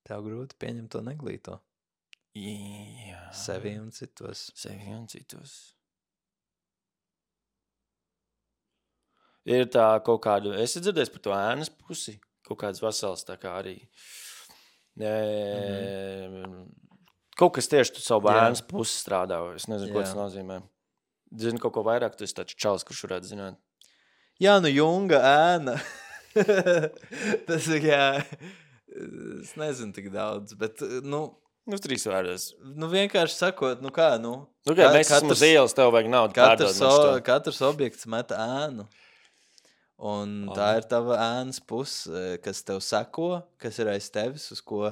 Tev grūti pieņemt to neglīto. Jā. Sevi un citos. Ir tā kaut kāda, es dzirdēju par to ēnas pusi, kaut kādas vasaras tā kā arī. Kaut kas tieši tu savu ēnas pusi strādā, es nezinu, ko tas nozīmē. Zinu kaut ko vairāk, tu esi tāds čals, kurš varētu zināt. Jā, Junga ēna. Tas ir, es nezinu tik daudz, bet, 3 vārdos. Vienkārši sakot, mēs esam uz ielas, tev vajag naudu pārdod. Katrs objekts met ēnu. Un tā ir tava ēnas puse, kas tev sako, kas ir aiz tevis, uz ko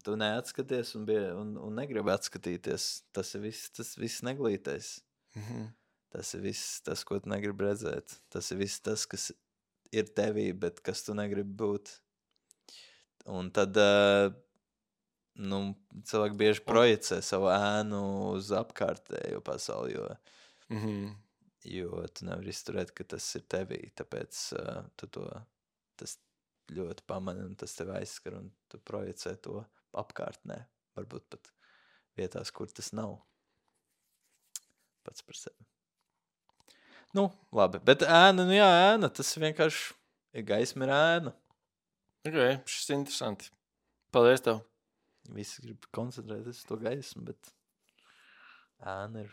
tu neatskaties un negribi atskatīties. Tas ir viss neglītais. Tas ir viss tas, ko tu negribi redzēt. Tas ir viss tas, kas ir tevī, bet kas tu negribi būt. Un tad cilvēki bieži projicē savu ēnu uz apkārtējo pasauli, jo tu nevari izturēt, ka tas ir tevī, tāpēc tas ļoti pamani un tas tev aizskar un tu projicē to apkārtnē, varbūt pat vietās, kur tas nav pats par sevi. Labi, bet ēna, tas vienkārši ir gaisma ir ēna. Ok, šis ir interesanti. Paldies tev. Visi grib koncentrēties uz to gaismu, bet ēna ir...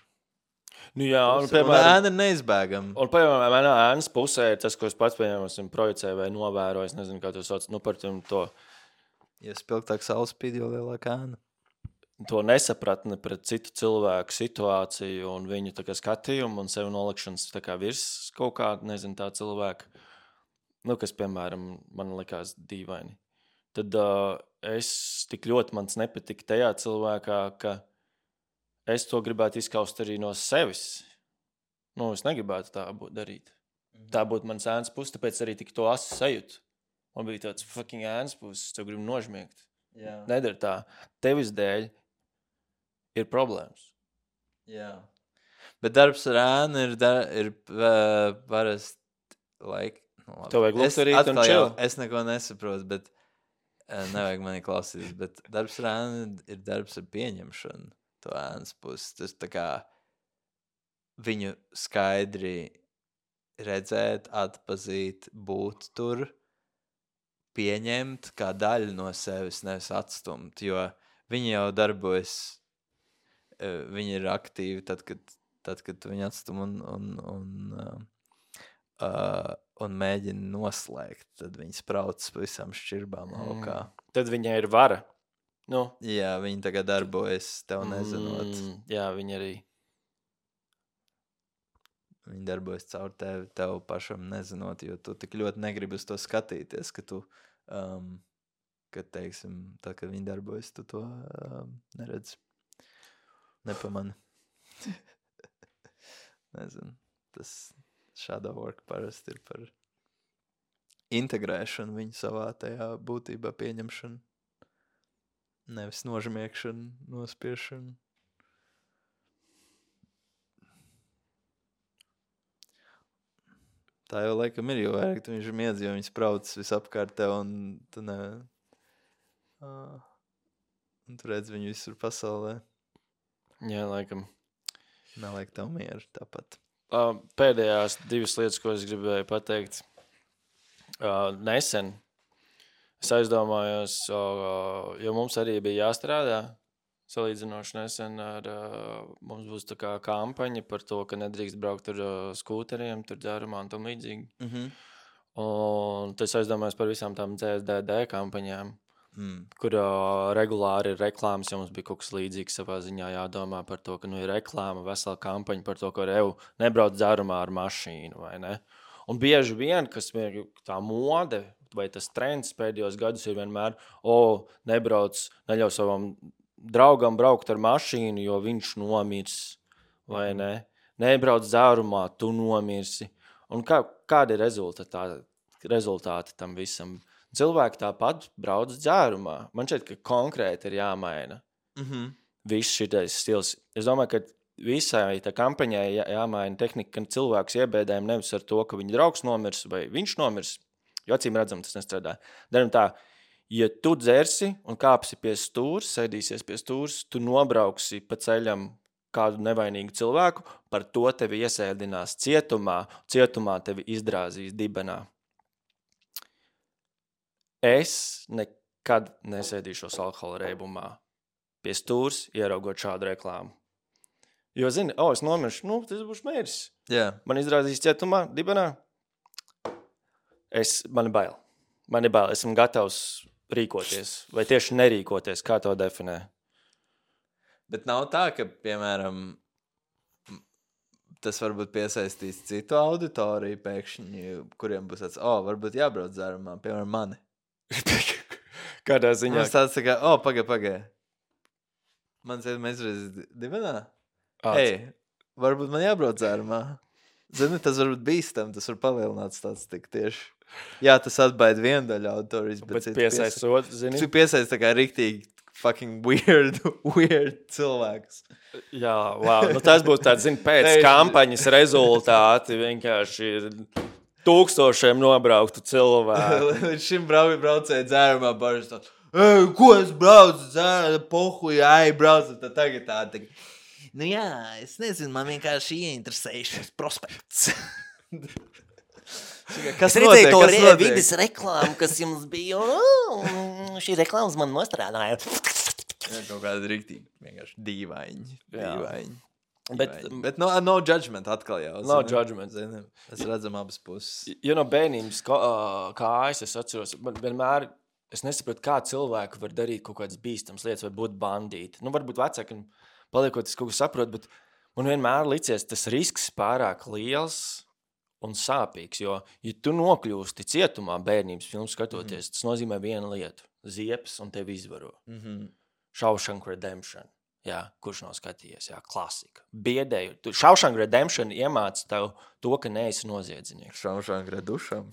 un ēna ir neizbēgama. Un, piemēram, manā ēnas pusē ir tas, ko es pats, piemēram, esmu projicēju vai novēroju, es nezinu, kā to sauc, par to... Ja spilgtāk saules spīd, jo lielāka ēna. To nesapratni pret citu cilvēku situāciju un viņu tā kā skatījumu un sevi nolikšanas tā kā virs kaut kāda, nezinu, tā cilvēka, kas, piemēram, man likās dīvaini. Tad es tik ļoti mans nepatika tajā cilvēkā, ka es to gribētu izskaust arī no sevis. Es negribētu tā darīt. Tā būtu mans ēnas puses, tāpēc arī tik to asi sajūtu. Man bija tāds fucking ēnas puses, tev gribu nožmiegt. Jā. Nedara tā. Tevis dēļ ir problēmas. Jā. Bet darbs ar ēnu ir parasti labi. Tev vajag lukturīt un chill. Es neko nesaprotu, bet nevajag mani klausīties. Bet darbs ar ēnu ir darbs ar pieņemšanu. To ēnas puses. Tas tā kā viņu skaidri redzēt, atpazīt, būt tur, pieņemt kā daļu no sevis, nevis atstumt. Jo viņi jau darbojas, viņi ir aktīvi tad, kad tu viņu atstum un mēģina noslēgt, tad viņi spraucas pa visām šķirbām laukā. Tad viņai ir vara. Nu. Jā, viņi tagad darbojas, tev nezinot. Jā, viņi arī. Viņi darbojas caur tev pašam nezinot, jo tu tik ļoti negribi uz to skatīties, ka tu, kad, teiksim, tā, kad viņi darbojas, tu to neredz. Nepamani. Nezinu. Tas shadow work parasti ir par integrēšanu viņu savā tajā būtībā pieņemšanu. Nevis nožmiekšanu, nospiešanu. Tā jau laikam ir, jo vairāk tu viņš miedz, jo viņš spraucas visapkārt tev un tu ne... Un tu redz viņu visur pasaulē. Jā, laikam. Neliek tev mieru tāpat. Pēdējās 2 lietas, ko es gribēju pateikt. Nesen es aizdomājos, jo mums arī bija jāstrādā salīdzinoši nesen ar, mums būs tā kā kampaņa par to, ka nedrīkst braukt ar skūteriem, tur ģērumā un tam līdzīgi. Un tas aizdomājos par visām tām CSDD kampaņām, kur regulāri ir reklāmas, jo mums bija kaut kas līdzīgs savā ziņā jādomā par to, ka ir reklāma, vesela kampaņa par to, ka nebrauc ģērumā ar mašīnu, vai ne? Un bieži vien, kas tā mode vai tas trends pēdējos gadus ir vienmēr, neļauj savam draugam braukt ar mašīnu, jo viņš nomirs, vai ne? Nebrauc dzērumā, tu nomirsi. Un kādi ir rezultāti tam visam? Cilvēki tāpat brauc dzērumā. Man šķiet, ka konkrēti ir jāmaina. Viss šitais stils. Es domāju, ka visai tā kampaņai jāmaina tehnika, ka cilvēks iebēdējam nevis ar to, ka viņa draugs nomirs vai viņš nomirs, jo acīm redzam, tas nestrādā. Daram tā, ja tu dzersi un kāpsi pie stūrs, sēdīsies pie stūrs, tu nobrauksi pa ceļam kādu nevainīgu cilvēku, par to tevi iesēdinās cietumā tevi izdrāzīs dibenā. Es nekad nesēdīšos alkohola reibumā pie stūrs, ieraugot šādu reklāmu. Jo, zini, es nomiršu, tas būšu mērs. Jā. Man izdrāzīs cietumā, dibenā. Man ir bail. Esmu gatavs rīkoties. Vai tieši nerīkoties, kā to definē? Bet nav tā, ka, piemēram, tas varbūt piesaistīs citu auditoriju pēkšņi, kuriem būs tāds, varbūt jābrauc dzērumā, piemēram, mani. Kādā ziņā? Mums tāds tā kā, pagai. Mēs reiz dibenā? Varbūt man jābrauc dzērumā. Zini, tas varbūt bīstam, tas var palielināt tāds tik tieši. Jā, tas atbaida vienu daļu auditorijas, bet piesaistot, zini? Tu piesaist tā kā riktīgi fucking weird cilvēks. Jā, wow. Tas būs tāds, zini, pēc kampaņas rezultāti vienkārši ir tūkstošiem nobrauktu cilvēku. Līdz šim braucēja dzērumā bažas tā, ko es braucu dzērumā, pohuj, braucu, tad tagad tā. Nu jā, es nezinu, man vienkārši ieinteresējušies prospekts. Es redzēju to vides reklāmu, kas jums bija, un šī reklāmas man nostrādāja. Jā, kaut kāda riktīgi, vienkārši dīvaini. Bet no judgment atkal jau. No judgment. Es redzam abas puses. Jo no bērnības kājas es atceros, vienmēr es nesaprotu, kā cilvēki var darīt kaut kādas bīstamas lietas vai būt bandīti. Varbūt vecāki paliekot, es kaut ko saprotu, bet man vienmēr licies tas risks pārāk liels un sāpīgs, jo, ja tu nokļūsti cietumā bērnības filmu skatoties, tas nozīmē vienu lietu – ziepes un tevi izvaro. Shawshank Redemption. Jā, kurš nav skatījies, klasika. Biedēju. Shawshank Redemption iemāca tev to, ka neesi noziedznieks. Shawshank Redemption.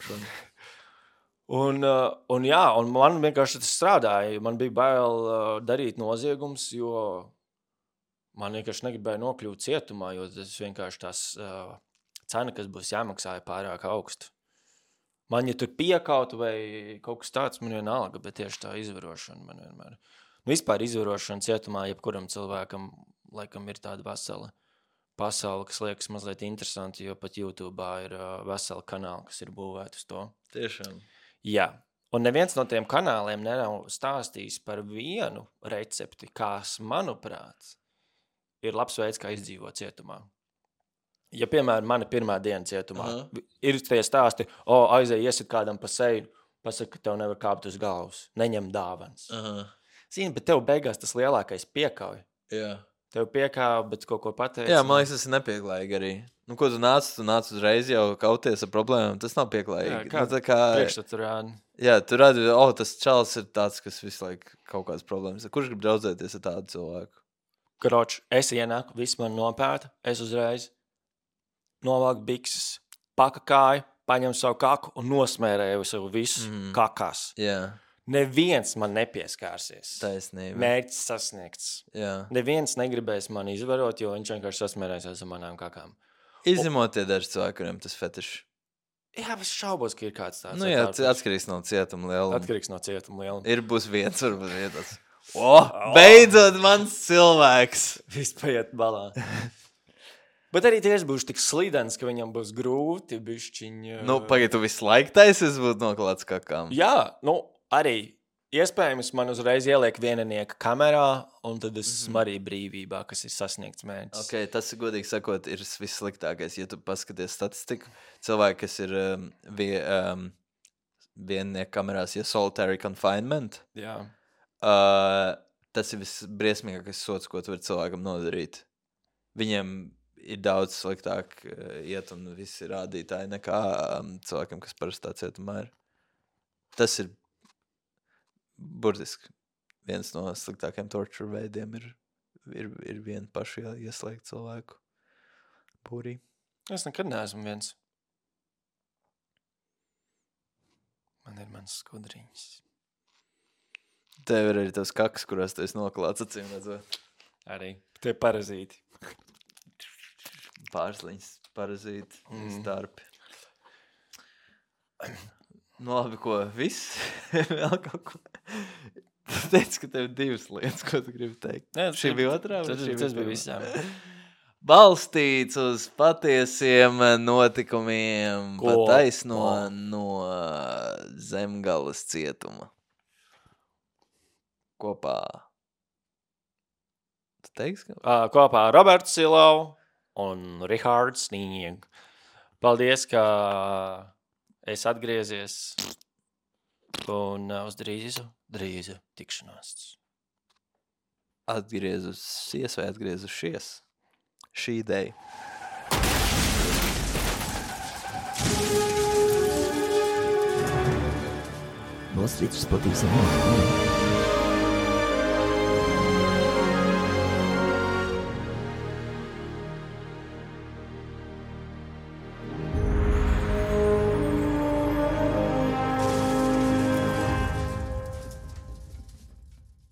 Un man vienkārši tas strādāja. Man bija bail darīt noziegums, jo man vienkārši negribēja nokļūt cietumā, jo tas vienkārši tās cena, kas būs jāmaksāja pārāk augstu. Man, ja tur piekautu vai kaut kas tāds, man vienalga, bet tieši tā izvarošana man vienmēr. Vispār izvarošana cietumā, jebkuram cilvēkam, laikam, ir tāda vesela pasaule, kas liekas mazliet interesanti, jo pat YouTube'ā ir vesela kanāla, kas ir būvēta uz to. Tiešām. Jā. Un neviens no tiem kanāliem nav stāstījis par vienu recepti, kas, manuprāt, ir labs veids, kā izdzīvot cietumā. Ja, piemēram, mana pirmā diena cietumā, ir tie stāsti, aizēj iesit kādam pa seju, pasaka, ka tev nevar kāpt uz galvas, neņem dāvans. Zini, bet tev beigās tas lielākais piekauj. Jā. Tev piekāv, bet kaut ko pateic. Jā, man liekas, tas ir nepieklājīgi arī. Nu, ko tu nāc uzreiz jau kauties ar problēmām, tas nav pieklājīgi. Jā, kā priekšstat tu rādi. Jā, tu rādi, tas čalis ir tāds, kas visu laiku kaut kādas problēmas. Kurš grib draudzēties ar tādu cilvēku? Kroč, es ienāku, viss man nopēta, es uzreiz novāku bikses, pakakāju, paņem savu kaku un nosmērēju sev visus kakās. Jā. Neviens man nepieskārsies. Taisnība. Mērķis sasniegts. Jā. Neviens negribēs mani izvarot, jo viņš vienkārši sasmērēsies ar manām kakām. Izņemot tie daži cilvēki, kuriem tas fetišs. Jā, es šaubos, ka ir kāds tāds. Nu jā, atkarīgs no cietuma lieluma. Atkarīgs no cietuma lieluma. Ir būs viens, varbūt vietas. Beidzot mans cilvēks! Viss paiet balā. Bet arī tieši būs tik slidens, ka viņam būs grūti bišķiņ. Nu, pagaid, tu visu laiku taisies būt noklāts kakām. Jā, nu, arī iespējams man uzreiz ieliek vieninieka kamerā, un tad es esmu arī brīvībā, kas ir sasniegts mērķis. Ok, tas, godīgi sakot, ir vissliktākais. Ja tu paskaties statistiku, cilvēki, kas ir vieninieka kamerās, ja solitary confinement, Jā. Tas ir visbriesmīgākais sots, ko tu vari cilvēkam nodarīt. Viņiem ir daudz sliktāk iet un visi rādītāji nekā cilvēkiem, kas parasti tā cietumā ir. Tas ir burtiski viens no sliktākiem torture veidiem ir viena paša ieslēgt cilvēku būrī. Es nekad neesmu viens. Man ir mans skudriņas. Tev ir arī tavs kaks, kurās tu esi noklāts, acīm redzot. Arī. Tie parazīti. Pārsliņas, parazīti, starpi. Nu labi, ko? Viss? Vēl kaut ko? Tu teici, ka tev ir divas lietas, ko tu gribi teikt. Nē, šī bija otrā? Tas bija visām. Balstīts uz patiesiem notikumiem, pataisno no Zemgales cietuma. Kopā. Tu teiksi? Kopā Roberts Silau un Rihards Nīņieg. Paldies, ka es atgriezies un uz drīzu tikšanās. Atgriezusies vai atgriezušies? Šī ideja. Nostrīdus patīsim.